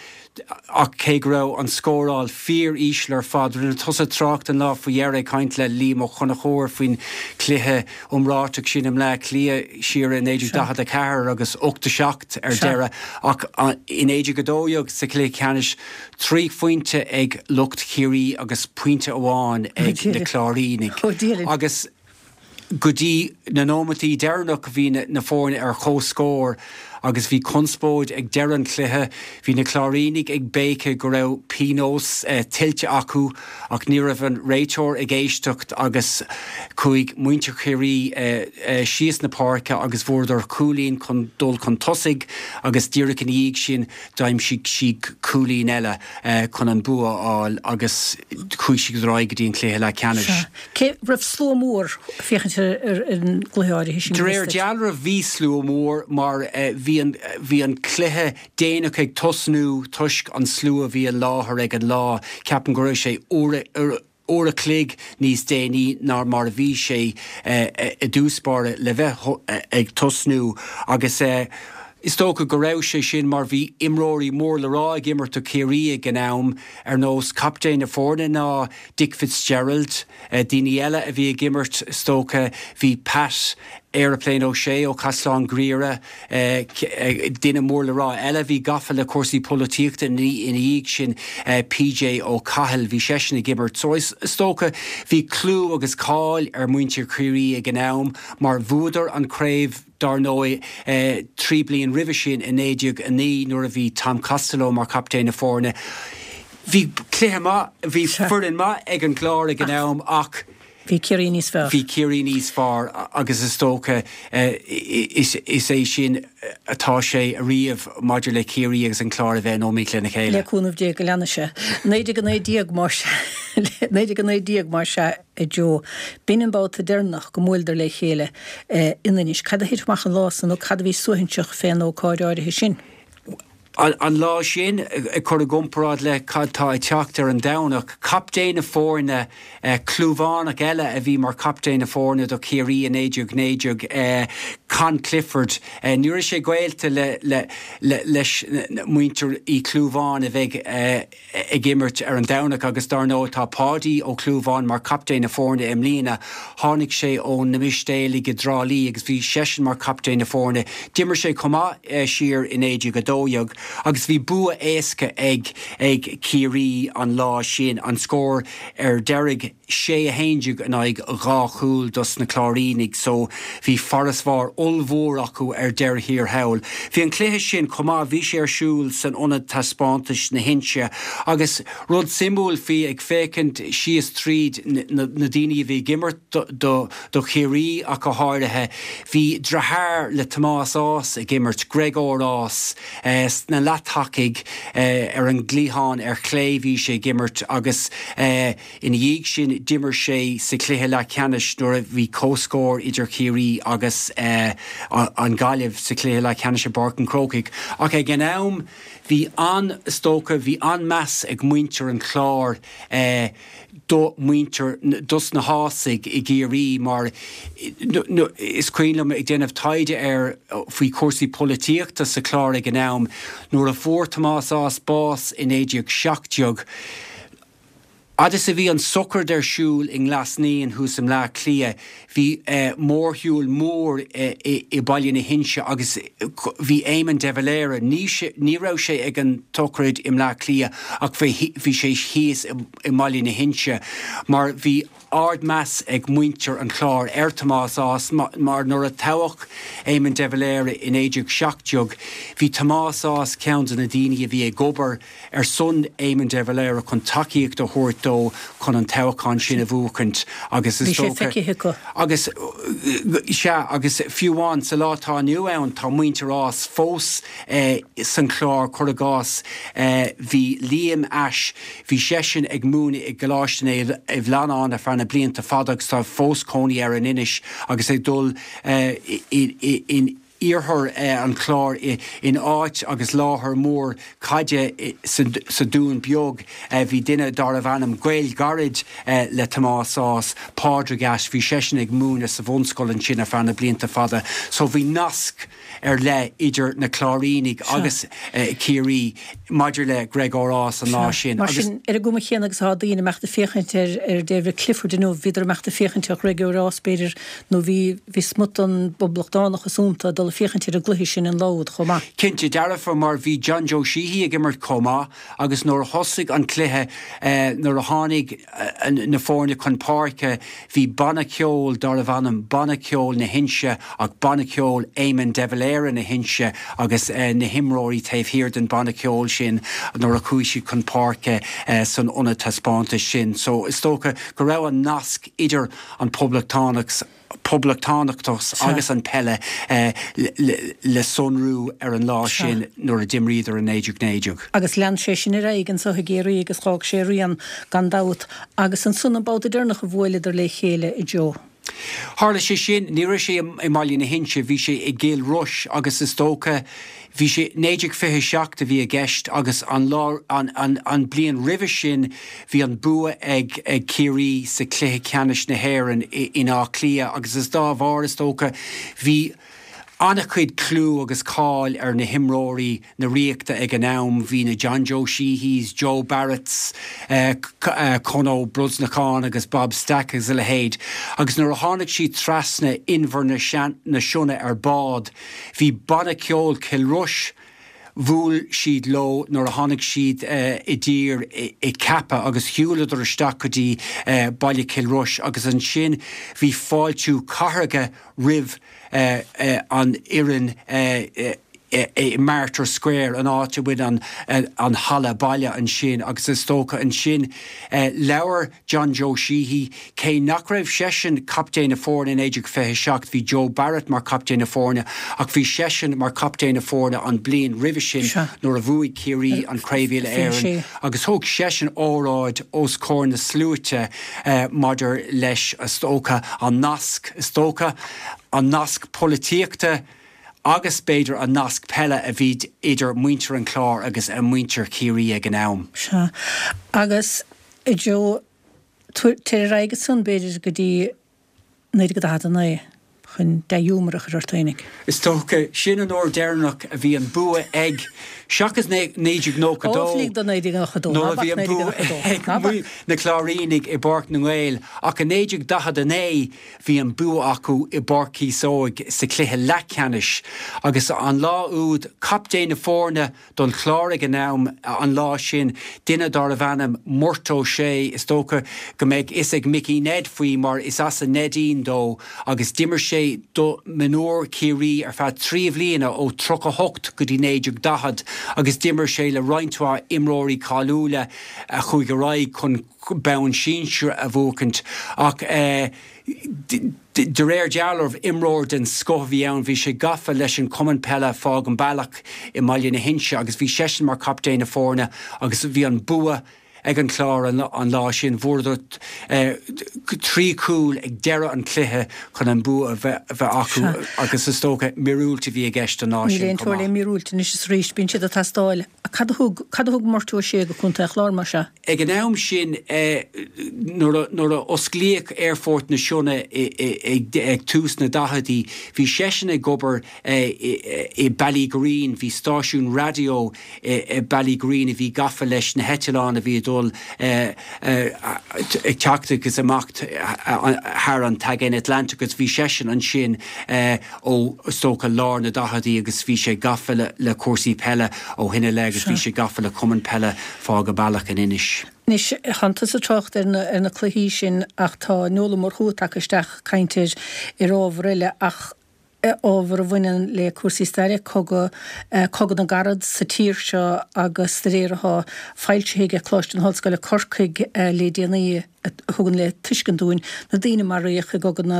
ach cé go raibh an scóráil fíor-íseal ar fad, rinne tusa trácht an lá faoi dheireadh ag caint le Liam Ó Conchúir faoin chluiche iomráiteach sin i mBleá Cliath siar i naoi déag daichead a ceathair agus ocht a seacht ar deireadh ach i naoi déag a dó dhéag sa chluiche ceannais trí phointe ag lucht Chiarraí agus pointe amháin ag na Cláirínigh agus Go dtí na nóimeataí deireanach bhí na foirne ar comhscór agus bhí conspóid ag deireadh an chluiche. Bhí na Cláirínigh ag béiceadh go raibh pionós tuillte acu ach ní raibh an réiteoir ag éisteacht agus chuaigh muintir Chiarraí síos na páirce agus bhfuaireadar cúilín chun dul chun tosaigh agus díreach ina dhiaidh sin d'aimsigh siad cúilín eile chun an bua a fháil agus chuaigh siad ar aghaidh go dtí an cluiche leathcheannais. Cé raibh slua mór ag féachaint ar an gcluiche áirithe sin? De réir dealraimh bhí slua mór mar bhí an bhí an cluiche déanach ag tosnú toisc an slua a bhí i láthair ag an lá. Ceapaim go raibh sé uair uair a chloig níos déanaí ná mar a bhí sé i dtús báire le bheith ag tosnú agus is dócha go raibh sé sin mar bhí imreoirí mór le rá ag imirt do Chiarraí ag an am, ar nós captaen na foirne ná Dick Fitzgerald, daoine eile a bhí ag imirt is dócha bhí Pat Aeroplane O'Shea ó Chaisleán Ghriaire, duine mór le rá eile a bhí gafa le cúrsaí polaitíochta ina dhiaidh sin, PJ Ó Cathail, bhí seisean ag imirt. So is dócha bhí clú agus cáil ar mhuintir Chiarraí ag an am mar bhuadar an chraobh, Dar ndóigh, trí bliain roimhe sin, i naoi déag a naoi, nuair a bhí Tom Costello mar chaptaen na foirne, bhí cluiche maith, bhí foireann maith ag an gClár ag an am ach. Bhí Ciarraí níos fearr. Bhí Ciarraí níos fearr agus is dócha is é sin atá sé ariamh maidir le Ciarraí agus an Clár a bheith in iomaíocht lena chéile. Le cúnamh Dé go leanfaidh sé. naoi déag a naoi déag mar naoi déag a naoi déag mar sea. A Joe, B'in an babhta deireanach go mbuaileadar le chéile in Inis. Cad a thit amach an lá san nó cad a bhí suaithinseach fén ócáid áirithe sin? An lá sin, ag cur i gcomparáid le cad tá ag teacht ar an Domhnach, captaen na foirne, Clúmhánach eile a bhí mar chaptaen na foirne do Chiarraí i naoi déag naoi déag, Con Clifford, ní raibh sé gaolta leis muintir Uí Chlúmháin a bheidh ag imirt ar an Domhnach agus dar ndóigh tá Páidí Ó Clúmháin mar chaptaen na foirne i mbliana. Tháinig sé ó na Mistéalaigh i dTrá Lí agus bhí seisean mar chaptaen na foirne. D'imir sé chomh maith siar i naoi déag a dó dhéag agus bhí bua éasca ag ag Ciarraí an lá sin, an scór ar deireadh sé a haon déag in aghaidh dhá chúl dos na Cláirínigh so bhí farasbarr ollmhór acu ar deireadh thiar thall. Bhí an cluiche sin chomh maith, bhí sé ar siúl san Ionad Taispeántais na hInse agus rud suimiúil faoi, ag féachaint síos tríd na daoine a bhí ag imirt do do Chiarraí ach go háirithe, bhí deartháir le Tomás Ághas ag imirt, Gregor Ághas, sna leath-tacaigh ar an gcliathán ar chlé bhí sé ag imirt agus ina dhiaidh sin d'imir sé sa chluiche leathcheannais nuair a bhí comhscór idir Ciarraí agus an Ghaillimh sa chluiche leathcheannais i bPáirc an Chrócaigh. Ach ag an am bhí an, is dócha, bhí an-meas ag muintir an Chláir do mhuintir, dos na hÁghasaigh i gCiarraí mar is cuimhin liom ag déanamh taighde air faoi chúrsaí polaitíochta sa Chlár ag an am nuair a fuair Tomás Ághas bás i naoi déag seacht déag, Fhad is a bhí an sochraid ar siúl i nGlas Naíon thuas i mBleá Cliath, bhí mórshiúl mór i Baile na hInse agus bhí Éamon de Valera, ní ní raibh sé ag an tsochraid i mBleá Cliath ach bhí sé thíos i mBaile na hInse mar bhí ard-meas ag muintir an Chláir ar Thomás Ághas mar nuair a toghadh Éamon de Valera i naoi déag seacht déag bhí Tomás Ághas ceann de na daoine a bhí ag obair ar son Éamon de Valera chun tacaíocht a thabhairt dó chun an toghchán sin a bhuachaint agus is Bhí sé dócha feicthe acu. agus sea agus fiú amháin sa lá atá inniu ann tá muintir Ághas fós san Chlár, cuir i gcás bhí Liam Ashe, bhí seisean ag múineadh i gColáiste Naomh Flannáin ar feadh na blianta fada agus tá fós cónaí air in Inis agus ag dul in iarthar an Chláir in áit agus láthair mór caide sa Dún Beag. Bhí duine darbh ainm gaol gairid le Tomás Ághas, Pádraig Ashe, bhí seisean ag múineadh sa bhunscoil ansin ar feadh na blianta fada. So bhí nasc ar leith idir na Cláirínigh agus Ciarraí maidir le Gregor Ághas an lá sin. Mar sin, ar an gcuma chéanna agus atá daoine ag imeacht ag féachaint ar ar David Clifford inniu, bhíodar ag imeacht ag féachaint ar Ghregor Ághas, b'fhéidir, nó bhí bhí smut den bpoblachtánachas iontu ag dul ag féachaint ar an gcluiche sin in Louth chomh maith. Cinnte dearfa, mar bhí John Joe Sheehy ag imirt chomh maith agus nuair a thosaigh an cluiche, nuair a tháinig na foirne chun páirce, bhí banna ceoil darbh ainm Banna Ceoil na hInse ach Banna Ceoil Éamon de Valera na hInse agus na himreoirí taobh thiar den bhanna ceoil sin nuair a chuaigh siad chun páirce san ionad taispeántais sin. So is dócha go raibh an nasc idir an poblachtánachas poblachtánachas agus an peile le sonrú ar an lá sin nuair a d'imríodar i naoi déag naoi déag. Agus lean sé sin ar aghaidh anso i gCiarraí agus dh'fhág sé a rian gan dabht agus ansan an babhta deireanach a bhuaileadar le chéile a Joe. Tharla sé sin, ní raibh sé i mBaile na hInse, bhí sé i gCill Rois agus is dócha, bhí sé, naoi déag fiche a seacht a bhí i gceist agus an lá, an, an, an bliain roimhe sin bhí an bua ag, ag Ciarraí sa chluiche ceannais na hÉireann i, in Áth Cliath agus is dá bharr is dócha bhí an-chuid clú agus cáil ar na himreoirí na Ríochta ag an am, bhí na John Joe Sheehys, Joe Barretts, Con Ó Brosnacháin agus Bob Stack agus a leithéid. Agus nuair a tháinig siad trasna Inbhear na Sionna ar bád, bhí Banna Ceoil Chill Rois, bhuail siad leo nuair a tháinig siad i dtír i Cappagh agus shiúladar isteach go dtí baile Chill Rois agus ansin bhí fáiltiú cathartha roimh an fhoireann i Martyrs Square, an áit a bhfuil an halla baile ansin agus is dócha ansin labhair John Joe Sheehy, cé nach raibh seisean captaen na foirne i naoi déag fiche a seacht, bhí Joe Barrett mar chaptaen na foirne ach bhí seisean mar chaptaen na foirne an bliain roimhe sin nuair a bhuaigh Ciarraí an Craobh Uile-Éireann agus thug seisean óráid os comhair na sluaite maidir leis, is dócha, an nasc, is dócha, an nasc polaitíochta agus b'fhéidir an nasc peile a bhí idir muintir an Chláir agus muintir Chiarraí ag an am. Sea. Agus, a Joe, tar ar aghaidh ansan b'fhéidir go dtí naoi déag daichead a naoi chun dea-ghiúmar a chur ort fhéinig. Is dócha, sin an uair deireanach a bhí an bua ag, seachas naoi déag nócha dó, Ó, lig do naoi déag nócha dó, ná bac naoi déag nócha dó, ná bac. Na Cláirínigh i bPáirc na nGael, ach i naoi déag daichead a naoi bhí an bua acu i bPáirc Chíosóg sa chluiche leathcheannais agus an lá úd, captaen na foirne don Chlár ag an am, an lá sin, duine darbh ainm Murt Ó Sé, is dócha go mbeidh fhios ag Micí Ned faoi mar is as an Neidín dó agus d'imir sé do mionúir Chiarraí ar feadh trí bhliana ó tríocha hocht go dtí naoi déag daichead agus d'imir sé le roinnt mhaith imreoirí cáiliúla a chuaigh ar aghaidh chun bonn sinsir a bhuachaint ach de réir dealraimh imreoir den scoth a bhí ann. Bhí sé gafa leis an chumann peile Fág an Bealach i mBaile na hInse agus bhí seisean mar chaptaen na foirne agus bhí an bua ag an Chlár an lá sin. Bhuadar trí chúl ag deireadh an chluiche chun an bua a bheith acu agus is dócha míorúilt a bhí i gceist an lá sin chomh maith. Níl aon teora le míorúilt anois is arís, bíonn siad ag teastáil. Cad a thug, cad a thug Murt Ó Sé go Contae an Chláir mar sea? Ag an am sin, nuair a osclaíodh Aerfort na Sionna ag tús na daicheadaí, bhí seisean ag obair i Ballygureen, bhí stáisiún raidió i Ballygureen a bhí gafa leis na heitleáin a bhí ag dul ag teacht agus imeacht thar an tAigéan Atlantach agus bhí seisean ansin ó, is dócha, lár na daicheadaí agus bhí sé gafa le cúrsaí peile ó shin i leith agus bhí sé gafa le cumann peile Fág an Bealach in Inis. Anois, tánn tusa ag trácht ar na, ar na cluichí sin ach tá Noel Ó Murchú tagtha isteach ag caint ar, ar ábhar eile ach ábhar a bhaineann le cúrsaí staire, cogadh, Cogadh na gCarad sa tír seo agus de réir atá foilsithe aige Coláiste na hOllscoile Corcaigh le déanaí a thugann le tuiscint dúinn na daoine a maraíodh i gCogadh na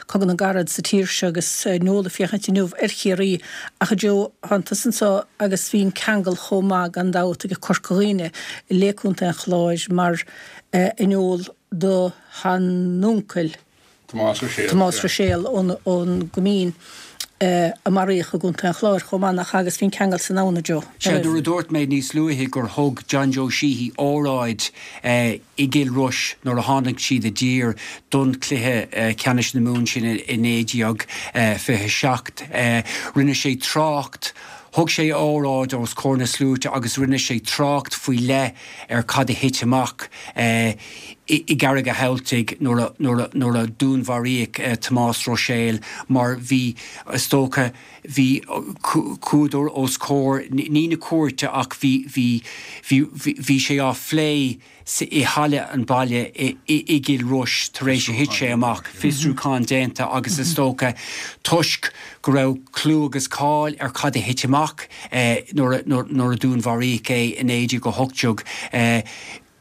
Cogadh na gCarad sa tír seo agus Noel ag féachaint inniu ar Chiarraí ach a Joe, tánn tusa anseo agus bhí an ceangal chomh maith gan dabht ag Corca Dhuibhne le Contae an Chláir mar a Noel do sheanuncail. Tomás Ruiséal. Tomás Ruiséal ón gCoimín. a maraíodh i gContae an Chláir chomh maith, nach ea, agus bhí an ceangal san ann, a Joe. Sea, nuair a dúirt mé níos luaithe gur thug John Joe Sheehy óráid i gCill Rois nuair a tháinig siad i dtír don chluiche ceannais na Mumhan sin i naoi déag fiche a seacht, rinne sé trácht, thug sé óráid os comhair na sluaite agus rinne sé trácht faoi leith ar cad a thit amach i gCarraig a' Thabhaltaigh nuair a dúnmharaíodh Tomás Ruiséal mar bhí, is dócha, bhí, chuadar os comhair, ní na cúirte ach bhí, bhí, bhí, bhí sé á phlé i halla an bhaile i gCill Rois tar éis a thit sé amach, fiosrúchán déanta agus is dócha toisc go raibh clú agus cáil ar cad a thit amach nuair a dúnmharaíodh é i naoi déag a hocht déag,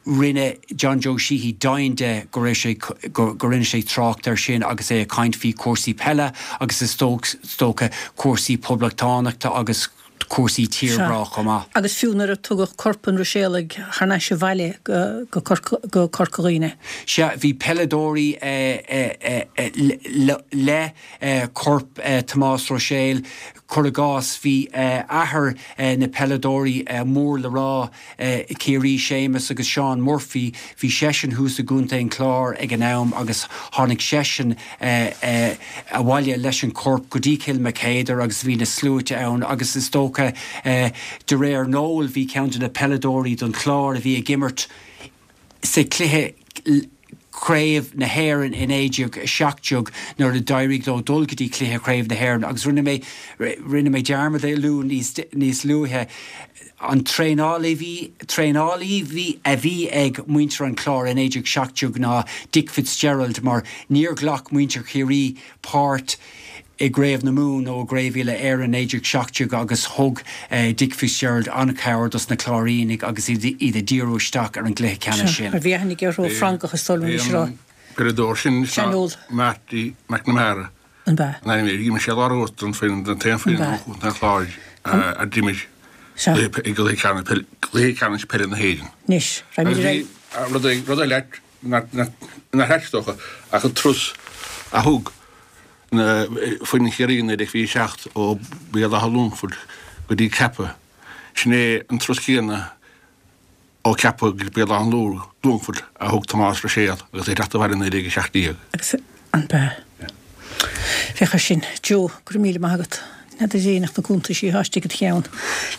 rinne John Joe Sheehy deimhin de go raibh sé, go rinne sé trácht air sin agus é ag caint faoi chúrsaí peile agus is dócha cúrsaí poblachtánachta agus cúrsaí tírghrá chomh maith. Agus fiú nuair a tugadh corp an Ruiséalaigh thar n-ais abhaile go Corca Dhuibhne. Sea, bhí peileadóirí le corp Tomás Ruiséil, cuir i gcás, bhí athair na peileadóirí mór le rá i Ciarraí, Séamus agus Seán Murphy, bhí seisean thuas i gContae an Chláir ag an am agus tháinig seisean abhaile leis an chorp go dtí Cill Mocheadair agus bhí na sluaite ann agus is dócha de réir Noel bhí ceann de na peileadóirí don Chlár a bhí ag imirt sa chluiche Craobh na hÉireann i naoi déag a seacht déag nuair a d'éirigh leo dul go dtí cluiche Chraobh na hÉireann agus rinne mé rinne mé dearmad é a lua níos níos luaithe an traenálaí bhí traenálaí bhí a bhí ag muintir an Chláir i naoi déag seacht déag ná Dick Fitzgerald mar níor ghlac muintir Chiarraí páirt i gCraobh na Mumhan nó i gCraobh Uile Éireann naoi déag seacht déag agus thug Dick Fitzgerald an-chabhair dos na Cláirínigh agus iad ag díriú isteach ar an gcluiche ceannais sin. Bhí aithne aige orthu, Francach is dóigh liom, anois a rá. Peileadóir sin is Marty McNamara An b'ea? an ainm air. D'imir sé lár uachtar an foireann den t-aon foireann ó Chontae an Chláir a d'imir i gcluiche ceannais peile na hÉireann. Anois, raghaimid ar aghaidh. Agus bhí rud eile nach ait is dócha ach an turas a thug foireann Chiarraí i naoi déag fiche a seacht ó Bhéal Átha Longfoirt go dtí Ceapaigh. Sin é an turas céanna ó Ceapaigh go Béal Átha Longfoirt a thug Tomás Ruiséal agus é ag teacht abhaile i naoi déag a seacht déag. Agus an b'ea? Féach air sin. Joe, go raibh míle maith agat. N'fheadar Dé nach na cuntaisí atá istigh id cheann.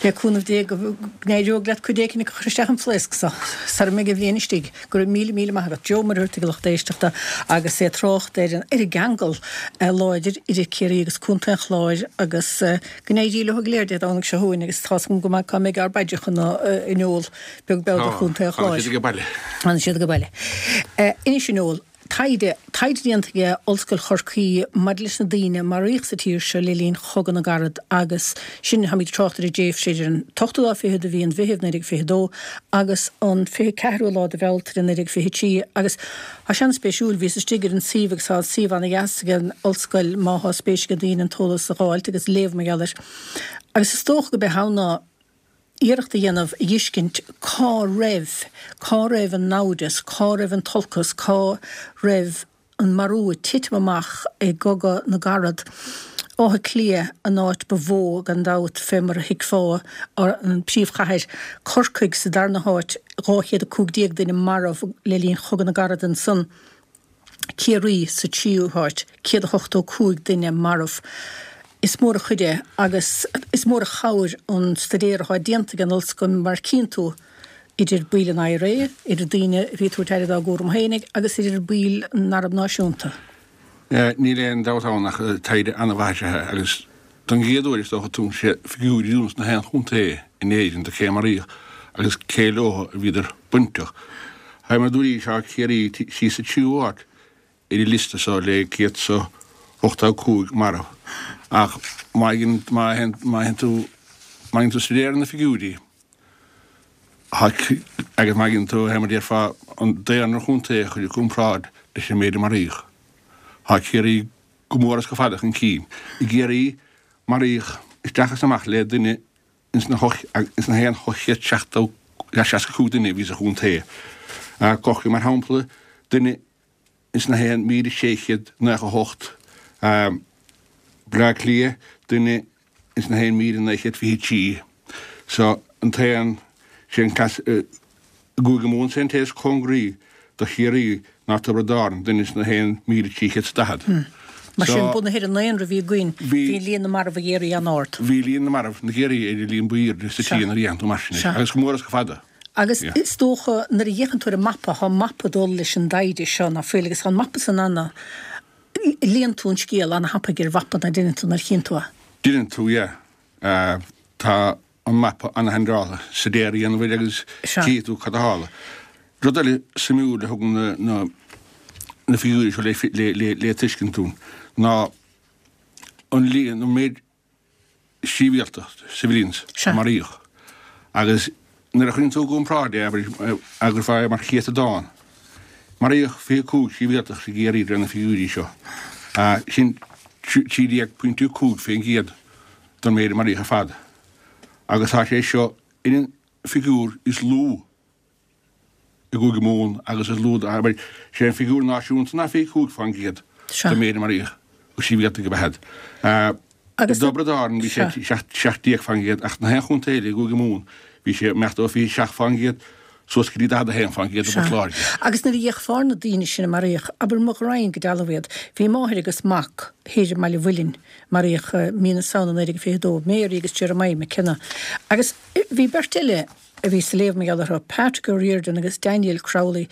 Le cúnamh Dé go n-éireoidh leat cuid éicint a chur isteach an phlaosc so, sara mbeidh an bhliain istigh. Go raibh míle míle maith agat. Joe Muircheartaigh a lucht éisteachta agus é ag trácht ar an ar an gceangal láidir idir Ciarraí agus Contae an Chláir agus go n-éirí leo go léir Dé Domhnaigh seo chugainn agus tá's agam go maith cá mbeidh ár bpaidreacha a Noel beag beann ar Chontae an Chláir. Tá, fanfaidh siad age baile. Fanfaidh siad age baile. Anois a Noel. Taighde, Taighde déanta ag Ollscoil Chorcaí maidir leis na daoine a maraíodh sa tír seo le linn Chogadh na gCarad agus sin, táimid ag trácht ar an dtréimhse idir an t-ochtú lá fichead de mhí an Mheithimh naoi déag fiche dó agus an fiche ceathrú lá de Bhealtaine naoi déag fiche trí agus tá sé an-spéisiúil, bhíos istigh ar an suíomh agus tá an suíomh ana-dheas ag an ollscoil má thá spéis ag daoine an t-eolas a dh'fháilt agus léamh mar gheall air agus is dócha go b'é atá ann ná iarracht a dhéanamh a dh'fheiscint cá raibh, cá raibh an naimhdeas, cá raibh an t-olcas, cá raibh an marú ag titim amach i gCogadh na gCarad. Áth Cliath an áit ba mhó, gan dabht, fé mar a thuigfeá, an príomhchathair. Corcaigh sa darna háit, dhá chéad a cúig déag duine marbh le linn Chogadh na gCarad ansan. Ciarraí sa tríú háit, céad a hochtó cúig duine marbh. Is mór an chuid é agus is mór an chabhair an staidéar atá déanta ag an ollscoil mar cíonn tú idir baill an IRA, idir daoine a bhí ag tabhairt aire dá gcúram féinig agus idir baill an Arm Náisiúnta. Níl aon dabht ann ach taighde an-mhaith is ea é agus don gcéad uair is dócha tugann sé figiúirí dúinn sna haon chontae in Éirinn do cé a maraíodh agus cé leo a bhíodar bainteach. Fé mar a dúraís tá Ciarraí síos sa tríú háit ar an liosta so le céad 's a hochtó cúig marbh. Ach má má théann tú má dhéanann tú staidéar ar na figiúirí agus má dhéanann tú, fé mar a déarfá, an daonra chontae a chur i gcomparáid leis an méid a maraíodh, tá Ciarraí go mór is go fada chun cinn. I gCiarraí maraíodh isteach is amach le duine ins na haon ocht chéad seachtó seasca cúig duine a bhí sa chontae. Corcaigh, mar shampla, duine ins na haon míle sé chéad naocha hocht, Bleá Cliath, duine ins na haon míle naoi chéad fiche trí. So, an t-aon, sé an cleas, i gCúige Mumhan sé an té is cóngaraí do Chiarraí ná Tiobraid Árann, duine ins na haon míle trí chéad is daichead. Mar sin, bunaithe ar an ndaonra a bhí againn, bhí líon na marbh i gCiarraí an-ard. Bhí líon na marbh na gCiarraí ar an líon ba aoirde sa tír nuair a dhéanann tú mar sin é, agus go mór is go fada. Agus is dócha, nuair a fhéachann tú ar an mapa, tá mapa ag dul leis an dtaighde seo, ná fuil, agus tá an mapa san ana, léann tú an scéal ana-thapaidh ar mhapa, ná deineann tú nuair a chíonn tú é? Deineann tú, yeah. Tá an mapa ana-shainráite, soiléir a dhéanamh air agus tchífidh tú cad a tharla. Rud eile suimiúil a thugann na na figiúirí seo le tuiscint dúinn ná an líon, an méid sibhialtach, civilians, a maraíodh. Agus nuair a chuireann tú i gcomparáid é, abair, agus é mar chéatadán, maraíodh fiche cúig sibhialtach i gCiarraí de réir na figiúirí seo. Sin trí déag pointe cúig faoin gcéad den méid a maraíodh ar fad. Agus tá sé seo ar an figiúr is lú i gCúige Mumhan agus is lú, abair, sé an figiúr náisiúnta ná fiche cúig faoin gcéad den méid a maraíodh go sibhialtaigh ab ea iad. I dTiobraid Árann bhí sé seacht déag faoin gcéad ach na haon chontae eile i gCúige Mumhan bhí sé imeacht ó fiche seacht faoin gcéad suas go dtí daichead a haon faoin gcéad i bPort Láirge. Agus nuair a d'fhéachfá ar na daoine sin a maraíodh, abair mo ghraidhin go dealbh iad, bhí máthair agus mac thoir i mBaile Mhuilinn, maraíodh mí na Samhna naoi déag fiche a dó, Mary agus Jeremiah McKenna. Agus bhí beirt eile a bhí sa léamh mar gheall orthu, Patrick O'Riordan agus Daniel Crowley.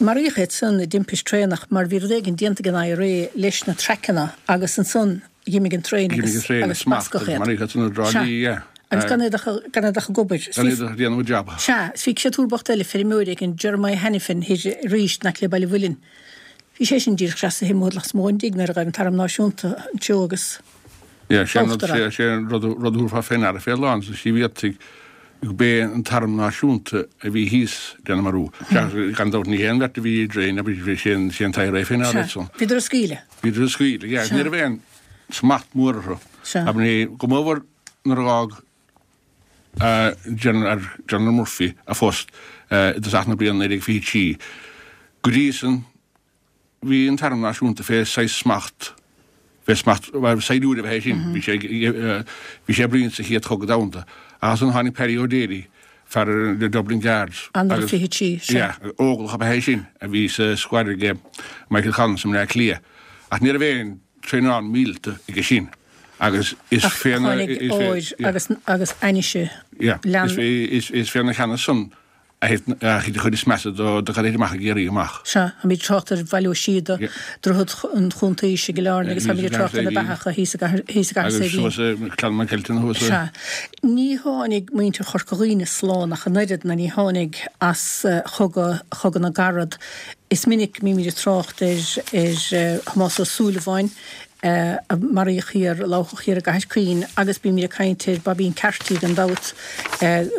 Maraíodh iad san i dtimpist traenach mar bhí rud éigin déanta ag an IRA leis na traiceanna agus ansan dh'imigh an traein agus agus bascadh iad. Maraíodh iad san i dTrá Sea. Lí, yeah. Agus gan iad ach gan iad ach ag obair. Gan iad ach ag déanamh a jab. Sea. Is bhí créatúr bocht eile, feirmeoir éigin, Jeremiah Hanafin, thoir arís in aice le Baile Mhuilinn. Bhí sé sin díreach trasna amuigh lasmuigh ón dtigh nuair a ghaibh an t-arm náisiúnta an treo agus Yeah, sé an rud, uachtar sé, sé an rud, rud a thabharfá fé ndeara fé lán sna sibhialtaigh gurb é an t-arm náisiúnta a bhí thíos lena marú. Seachas, gan dabht, ní hé an bheirt a bhí i dtraein, abair, bhí sé an, sé an t-IRA féin Sea, ansan. bhíodar á scaoileadh. Bhíodar á scaoileadh, yeah. Sea. Ní raibh aon smacht mór orthu. Sea. Abair, ní, go mór nuair a dh'fhág General, General Murphy a phost i dtosach na bliana naoi déag fiche trí. Go dtí san, Bhí an tArm Náisiúnta fé saghas smacht, fé smacht, bhuel, saighdiúir ab ea é sin, bhí sé, bhí sé ag bruíon sa Chéad Chogadh Domhanda. Ach ansan tháinig Paddy O'Daly, fear na Dublin Guards, Eanáir agus, fiche trí, sea. yeah, óglach ab ea é sin, a bhí sa squad aige Michael Collins i mBleá Cliath. Ach ní raibh aon traenáil míleata aige sin. Agus is Ach féna, tháinig is fé, óir yeah. agus, agus ainnise Yeah, lean. is fé, is, is féna cheannas san a thit an chuid is measa de cad a thit amach i gCiarraí amach. Sea, táimid ag trácht ar Bhaile Ó Síoda, Droichead an Chuntaois i gCill Airne agus táimid ag trácht ar na beathacha thíos i gCathair Agus Saidhbhín. suas i Clann McKelton thuas i. Sea. Ní tháinig muintir Chorca Dhuibhne slán ach an oiread, ná ní tháinig as chogadh, Chogadh na gCarad. Is minic a mbímid ag trácht ar ar Thomás Ó Súilleabháin, a maraíodh thiar, a lámhachadh thiar i gCathair Caoin agus bímid ag caint ar Baibín Carty gan dabht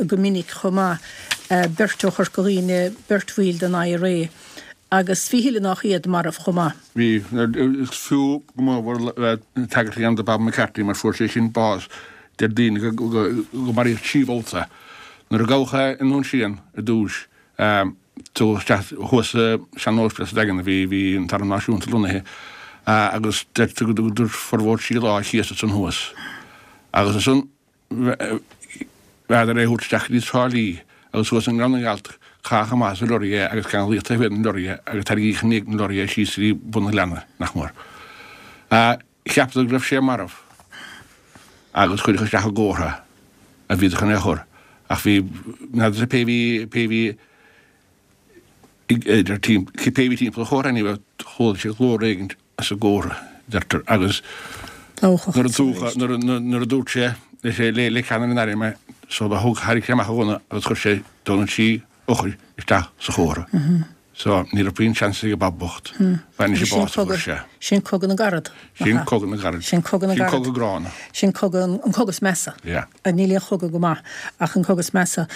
go minic chomh maith, beirt ó Chorca Dhuibhne, beirt bhaill den IRA agus bhí a thuilleadh nách iad marbh chomh maith. Bhí. Is fiú go mór tagairt a dhéanamh do Bob McCarthy mar fuair sé sin bás, deir daoine go maraíodh trí bhabhta. Nuair a gabhadh é i nDún Síon ar dtús, Tugadh isteach thuas sa sean-ospidéal sa Daingean a bhí, bhí an tArm Náisiúnta lonnaithe agus deirtear go dtugadar formhór trí lá thíos ansan thuas. Agus ansan bheadar é a thabhairt isteach go dtí Trá Lí agus thuas i nGleann na nGealt caitheadh amach as an lorry é agus ceanglaíodh taobh thiar den lorry é agus tarraingíodh i ndiaidh an lorry é síos go dtí bun an ghleanna, nach mór. Cheapadar go raibh sé marbh agus cuireadh isteach i gcófra a bhíodar chun é a chur ach bhí, n'fheadar pé bhí, pé bhí, idir cibé a bhí timpeall an chófra ní raibh, chuala sé glór éigin as an gcófra, deirtear, agus nuair a dúch, nuair a dúirt sé le le ceannaire an airm é, so do thug, tharraing sé amach a ghunna agus chuir sé dó na trí eochair isteach sa chófra. So ní raibh puinn seans ag Bob bocht. Bhain sé bás a fuair sé. Sin cogadh na gcarad. Sin cogadh na gcarad. Sin cogadh na Sin gcarad. cogadh gránna. Sin cogadh, an cogadh is measa. Yeah. Níl aon chogadh go maith ach an cogadh is measa.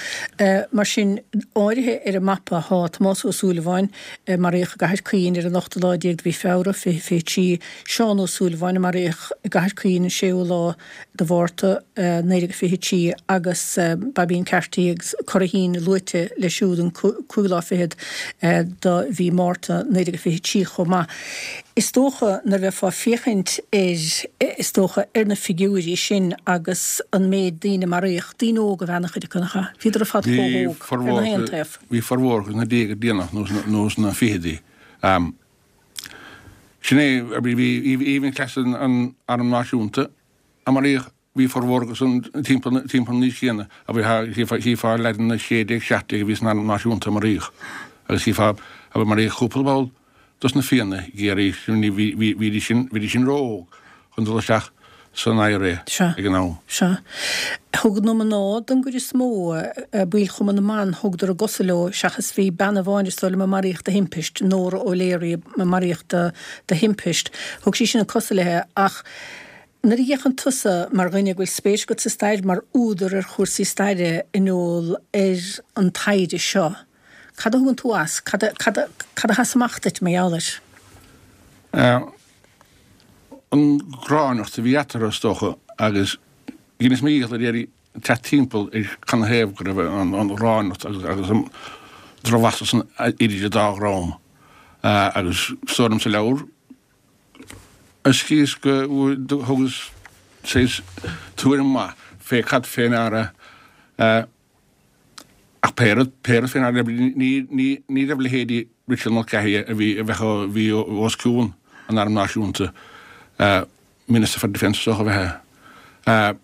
Mar sin, áirithe ar an mapa thá Tomás Ó Súilleabháin, a maraíodh i gCathair Caoin ar an ochtú lá déag de mhí Feabhra, fiche fiche trí, Seán Ó Súilleabháin, a maraíodh i gCathair Caoin an séú lá de Mhárta, naoi déag fiche trí, agus Baibín Carty agus Curraheen luaite leis siúd an cúigiú lá fichead do mhí Márta naoi déag fiche trí chomh maith. Is dócha nuair a bheifeá ag féachaint ar, is dócha, ar na figiúirí sin agus an méid daoine a maraíodh, daoine óga ab ea an-chuid acu, nach ea? Bhíodar ar fad chomh hóg, ar na haon taobh. Bhí formhór sna déaga déanach nó sna fichidí. Sin é, bhí even cleas an Arm Náisiúnta a maraíodh, bhí formhór acu san timpeall an aois chéanna, chífeá leaideanna sé déag, seacht déag a bhí san Arm Náisiúnta a maraíodh agus chífeá a maraíodh cúpla ball dos na Fianna i gCiarraí, bhídís sin, bhídís sin ró-óg chun dul isteach san IRA ag an am. Sea. Thug na mná don gcuid is mó, baill Chumann na mBan, thugadar a gcosa leo, seachas bhí bean amháin is dóigh liom a maraíodh de thimpist, Nóra O'Leary a maraíodh de thimpist. Thug sí sin a cosa léi ach nuair a fhéachann tusa mar dhuine go bhfuil spéis agat sa stair, mar údar ar chúrsaí staire, a Noel, ar an taighde seo, cad a thugann tú as? Cad a, cad a, cad a sheas amach duit mar gheall air? An ghráinneacht a bhí eatarthu, is dócha, agus dheineas mo dhícheall ar iarraidh teacht timpeall ar canathaobh go raibh an ghráinneacht agus an drochmheas san idir an dá dhream. Agus is dóigh liom sa leabhar, is chíos go thugas saghas tuairim maith fé cad fé ndeara Ach pé rud, pé rud féin, ní, ní, ní raibh leithéidí Richard Mulcahy a bhí, a bheadh, a bhí os cionn an Airm Náisiúnta, Minister for Defence is dócha a bheith é,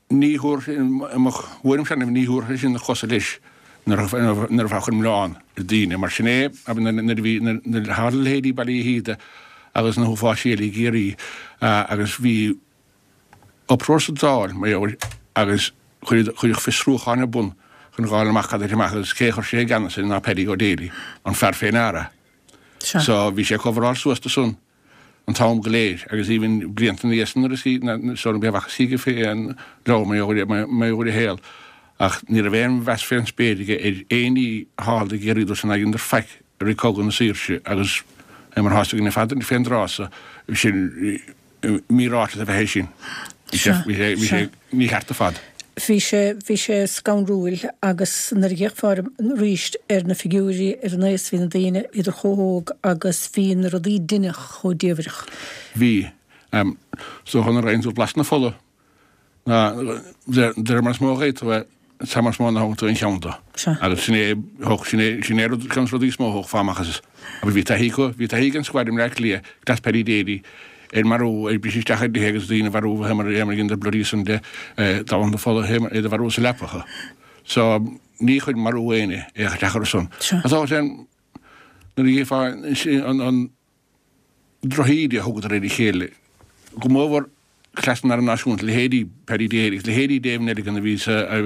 ní thabharfadh, i mo thuairimse, ní thabharfadh sé sin na cosa leis nuair a, nuair a bheadh an milleán ar daoine. Mar sin é, nuair a bhí, nuair a tharla leithéidí Baile Uí Shíoda agus na huafáis eile i gCiarraí agus bhí uproar sa Dáil, mar gheall air, agus cuireadh fiosrúchán ar bun chun fháil amach cad a thit amach agus cé a chuir sé i gceannas air ná Paddy O'Daly, an fear fé ndeara. So bhí sé ag coveráil suas do san an t-am go léir agus even blianta ina dhiaidh san nuair a so nuair a bhacthas chuige fé an leabhar mar gheall ar a shaol ach ní raibh aon mheas fén spéir aige ar aon ní a tharla i gCiarraí dúirt sé nár dheineadar faic i rith Cogadh na Saoirse agus é mar atá a fhios againn ar fad fén dtráth so sin míráiteas ab ea é sin. Bhí sé, bhí sé, bhí sé mícheart ar fad. Bhí sé, bhí sé scanrúil agus nuair a d'fhéachfá arís ar na figiúirí, ar an aos, bhí na daoine, bhíodar chomh hóg agus bhí na rudaí a deineadh chomh diamhrach. Bhí. So nuair a fhaigheann tú blas na fola, ná, de réir mar is mó a gheobhaidh tú é, is mar is mó a thógann tú aon cheann de. Agus sin é, thóg, sin é, sin é rud, ceann de na rudaí is mó a thógfá amach as. Agus bhí taithí acu, bhí taithí ag an squad i mBleá Cliath, cleas Paddy Daly, ar marú, ar briseadh isteach ar dtithe agus daoine a mharú, a dheineadar Bloody Sunday, Domhnach na Fola, iad a mharú sa leapacha. So, ní chuir marú éinne isteach orthu san. Ach tá sé, nuair a gheofá an, an drochíde a thugadar ar a chéile, go mórmhór cleas an Airm Náisiúnta, leithéidí Paddy Daly agus leithéidí Dave Nelligan a bhí sa, a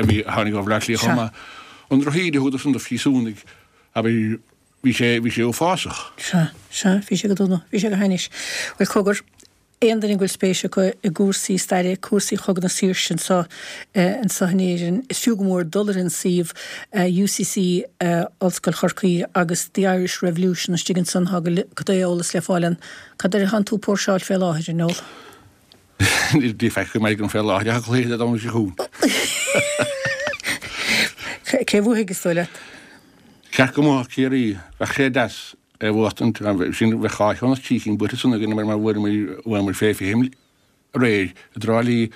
bhí, a tháinig ó Bhleá Cliath chomh maith, an drochíde a thugadar san do phríosúnaigh, abair, bhí sé, bhí sé uafásach. Sea, sea, bhí sé go dona, bhí sé go hainnis. Bhuel, cogar, aon duine go bhfuil spéis acu i gcúrsaí staire, cúrsaí Chogadh na Saoirse anseo, anseo in Éirinn, is fiú go mór dul ar an suíomh UCC, Ollscoil Chorcaí agus The Irish Revolution istigh ansan, tá go leor eolas le fáil ann. Cad air atánn tú ag póirseáil fé láthair, a Noel? Níl faic go maith agam fé láthair ach an cluiche Dé Domhnaigh seo chugainn. Cé a bhuafaidh, is dóigh leat? Ceart go mbuafadh Ciarraí, bheadh sé deas é a bhuachtaint, sin bheadh dhá cheann as trí cinn buaite ansan againn mar bhuamar fé fiche aréir i dTrá Lí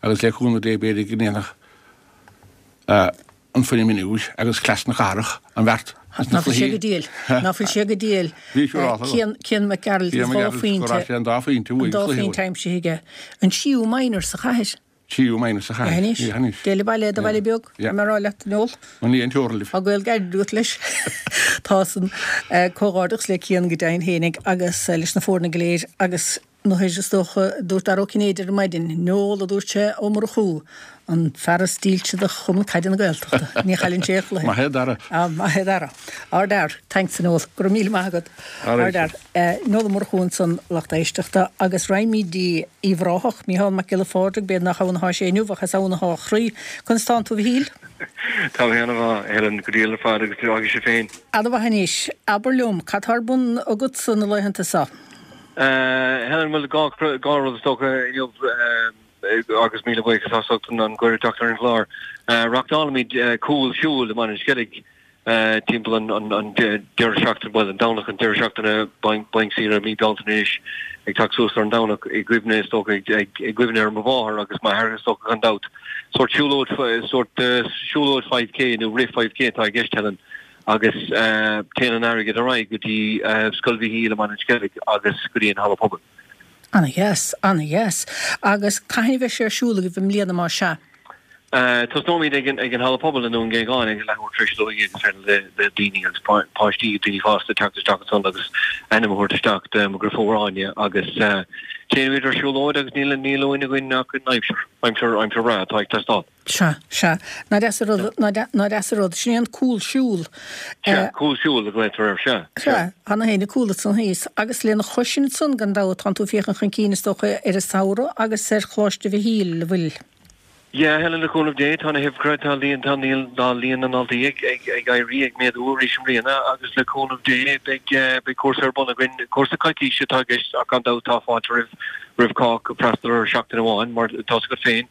agus le cúnamh Dé b'fhéidir go ndéanfadh an foireann mionúir agus cleas na cathrach an bheart Ná fuil sé go diail. Ná fuil sé go diail. Cian Cian McGearailt, dhá phointe. An dá phointe uaidh. An dá phointe aimsithe aige. An tríú minor sa chathair. Tríú minor sa chathair. Anois. Téigh abhaile i do bhaile beag. Yeah. Mar rá leat, Noel. An ní an teora libh. Tá gaol gairid agat leis. Tá san. Comhghairdeachas le Cian go deimhin fhéinig agus leis na foirne go léir agus nuair is dócha, dúirt Dara Ó Cinnéide ar maidin, Noel, a dúirt sé, Ó Murchú, an fear is dílse do Chumann Caide na Gaeltachta. Ní chailleann sé aon chluiche. Maith é Dara. Ah, maith é Dara. Ardfhear. Thanks, a Noel. Go raibh míle maith agat. Ardfhear. Noel Ó Murchú ansan, lucht éisteachta, agus raghaimid dtí Uíbh Ráthach, Mícheál Mac Giolla Phádraig, b'fhéidir nach ann atá sé inniu ach is ann atá a chroí. Conas tánn tú, a Mhichíl? Tá mé ana-mhaith, a Helen, go diail ar fad agus agus sibh féin? Ana-mhaith anois. Abair liom, cad tá ar bun agatsa na laethanta seo? Helen, bhuel, dhá, dhá rud is dócha inniu agus míle buíochas as ucht an cuireadh teacht ar an gclár. Reáchtálaimid cúl siúil i mBaile an Sceilg timpeall an an deireadh seachtaine bhuel an Domhnach an deireadh seachtaine bainc saoire mí Bealtaine anois ag teacht suas ar an Domhnach i gcuimhne is dócha i gcuimhne ar mo mháthair agus m'athair is dócha gan dabht. Sórt siúlóid sórt siúlóid five K nó rith five K atá i gceist Helen agus téann an airgead ar aghaidh go dtí Scoil Mhichíl i mBaile an Sceilg agus go dtí an Halla Pobail. Ana-dheas, ana-dheas. Agus cathain a bheidh sé ar siúl agaibh i mbliana más ea? Tosnóimid ag an Halla Pobail i nDún Géagáin ag leathuair tar éis a dó dhéag is féidir le daoine agus páistí, daoine fásta teacht isteach ansan agus ainm a thabhairt isteach do mo dheirfiúr Áine agus téimid ar siúlóid agus níl níl uainn againn ach an aimsir, aimsir, aimsir bhreá atá ag teastáil. Sea, sea. Nach deas an rud, nach deas an rud. Sin é an cúlshiúl. Sea, cúlshiúl a ghlaotar air, sea, sea. Sea, tá na héinne cúl ansan thíos. Agus lena chois sin ansan gan dabht tánn tú ag féachaint chun cinn is dócha ar an samhradh agus ar Choláiste Mhichíl, an bhfuil? Yeah, Helen, le cúnamh Dé, tá na huimhreacha, tá líon, tá líon, tá líon na ndaltaí ag, ag, ag éirí, ag méadú arís i mbliana agus le cúnamh Dé beidh, beidh cúrsa ar bun againn, cúrsa coicíse atá i gceist ach gan dabht tá fáilte roimh, roimh chách freastal ar seachtain amháin mar tá's agat féin,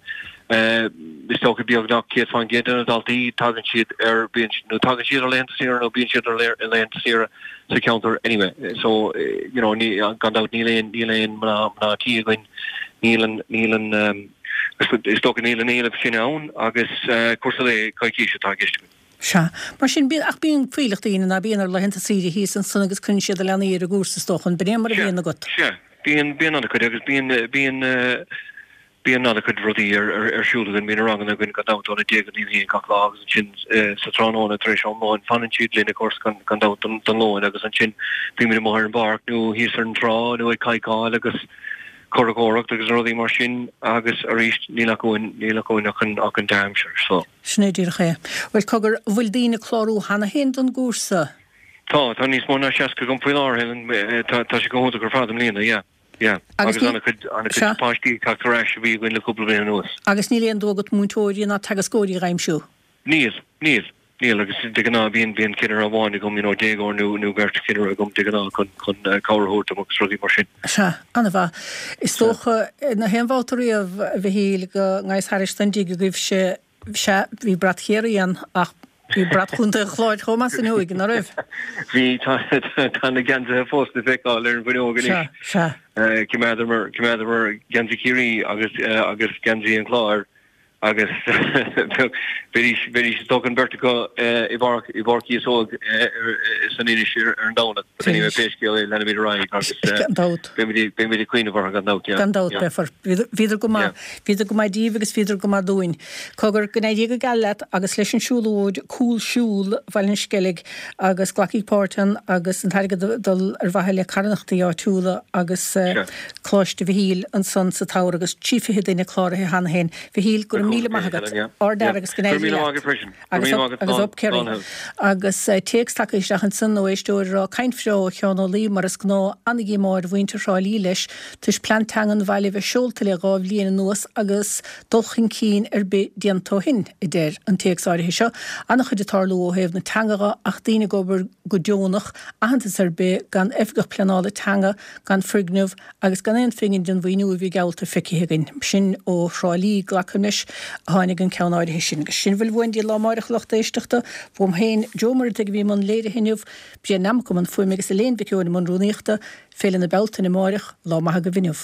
is dócha beagnach céad faoin gcéad de na daltaí tagann siad ar, bíonn, nó tagann siad ar laethanta saoire nó bíonn siad ar laethanta saoire sa cheantar anyway. So, you know, ní, gan dabht níl aon, níl aon mná, mná tí againn, níl an, níl an, Is dócha níl an éileamh sin ann agus cúrsa lae coicíse atá i gceist againn. Sea. Mar sin, bíonn, ach bíonn fuílleach daoine, ná bíonn, ar laethanta saoire thíos ansan agus cuireann siad a leanaí ar an gcúrsa is dócha, an b'in é mar a Sea, bhíonn agat? sea. Bíonn, bíonn an-chuid agus bíonn, bíonn, bíonn an-chuid rudaí ar, ar, ar siúl againn. Bíonn ranganna againn gan dabht óna deich go dtí a haon gach lá agus ansin sa tráthnóna tar éis am lóin fanann siad linn of course gan, gan dabht don, don lóin agus ansin bímid amuigh ar an bpáirc nó thíos ar an trá nó ag cadhcáil agus curachóireacht agus rudaí mar sin agus arís níl ach uainn, níl ach uainn ach an, ach an dea-aimsir so. Sin é díreach é. Bhuel, cogar, an bhfuil daoine ag clárú cheana féin don gcúrsa? Tá, tá níos mó ná seasca agam faoi láthair, Helen, tá, tá sé go hiontach ar fad i mbliana, yeah, yeah. Agus Agus ní, an-chuid, an-chuid sea. páistí ag teacht ar ais a bhí againn le cúpla bliain anuas. Agus níl aon dua agat múinteoirí ná teagascóirí a aimsiú? Níl, níl. Níl, agus de ghnáth bíonn, bíonn cinnire amháin agam, you know, déagóir nó, nó beirt chinnire agam de ghnáth chun, chun cabhair a thabhairt dom agus rudaí mar sin. Sea, an-mhaith. Is Sea. dócha, nach aon bhabhta riamh, a Mhichíl, go ngabhas thairis don dtigh agaibhse, sea, bhí brat Chiarraí ann ach bhí brat Chontae an Chláir chomh maith san fhuinneoig, ná raibh? Bhí, tá, tá na geansaithe fós le feiceáil ar an bhfuinneog Sea, anois. sea. Choimeádamar, choimeádamar geansaí Chiarraí agus, agus geansaí an Chláir. Agus bheidís, bheidís is dócha an bheirt acu i bPáirc, i bPáirc Chíosóg san Inis ar an Domhnach. But anyway, pé scéal é, leanfaimid ar aghaidh agus Gan dabht. beimid, beimid ag cuimhneamh orthu gan dabht, yeah. Gan dabht, Yeah. beifear. Bhíodar, bhíodar go maith. Yeah. Bhíodar go maith díbh agus bhíodar go maith dúinn. Cogar, go n-éirí go geal leat agus leis an siúlóid, cúlshiúl Bhaile an Sceilg agus glacaigí páirt ann agus an t-airgead ag dul ar mhaithe le carthanachtaí áitiúla agus Sure. Coláiste Mhichíl ansan sa tsamhradh agus trí fiche duine cláraithe cheana féin. Mhichíl, go raibh míle maith agat. Ard-fhear agus go n-éirí leat. Agus up, agus up Kerry. Agus téacs tagtha isteach ansan ó éisteoir ag rá, Caint bhreá ó Sheán Ó Laoi mar is gnáth, ana-dhíomá ar mhuintir Thrá Lí leis, toisc plean teanga an bhaile a bheith seolta le dhá bhliain anuas agus dul chun cinn ar bith déanta ó shin, a deir an téacs áirithe seo. Ana-chuid ag tarlú ó thaobh na teanga dhe ach daoine ag obair go deonach, aitheantas ar bith, gan oifigeach pleanála teanga, gan foirgneamh agus gan aon phingin den mhaoiniú a bhí geallta feicthe againn. Sin ó Thrá Lí, glacaim leis, a tháinig an ceann áirithe sin. Agus sin a bhfuil uainn daoibh lá amáireach, a lucht éisteachta. Uaim féin, Joe Muireadhaigh a bhí i mbun léirithe inniu, Brian Nammock i mbun fuaime agus Elaine Mhic Eoin i mbun rúnaíochta. Féile na Bealtaine amáireach, lá maith agaibh inniu.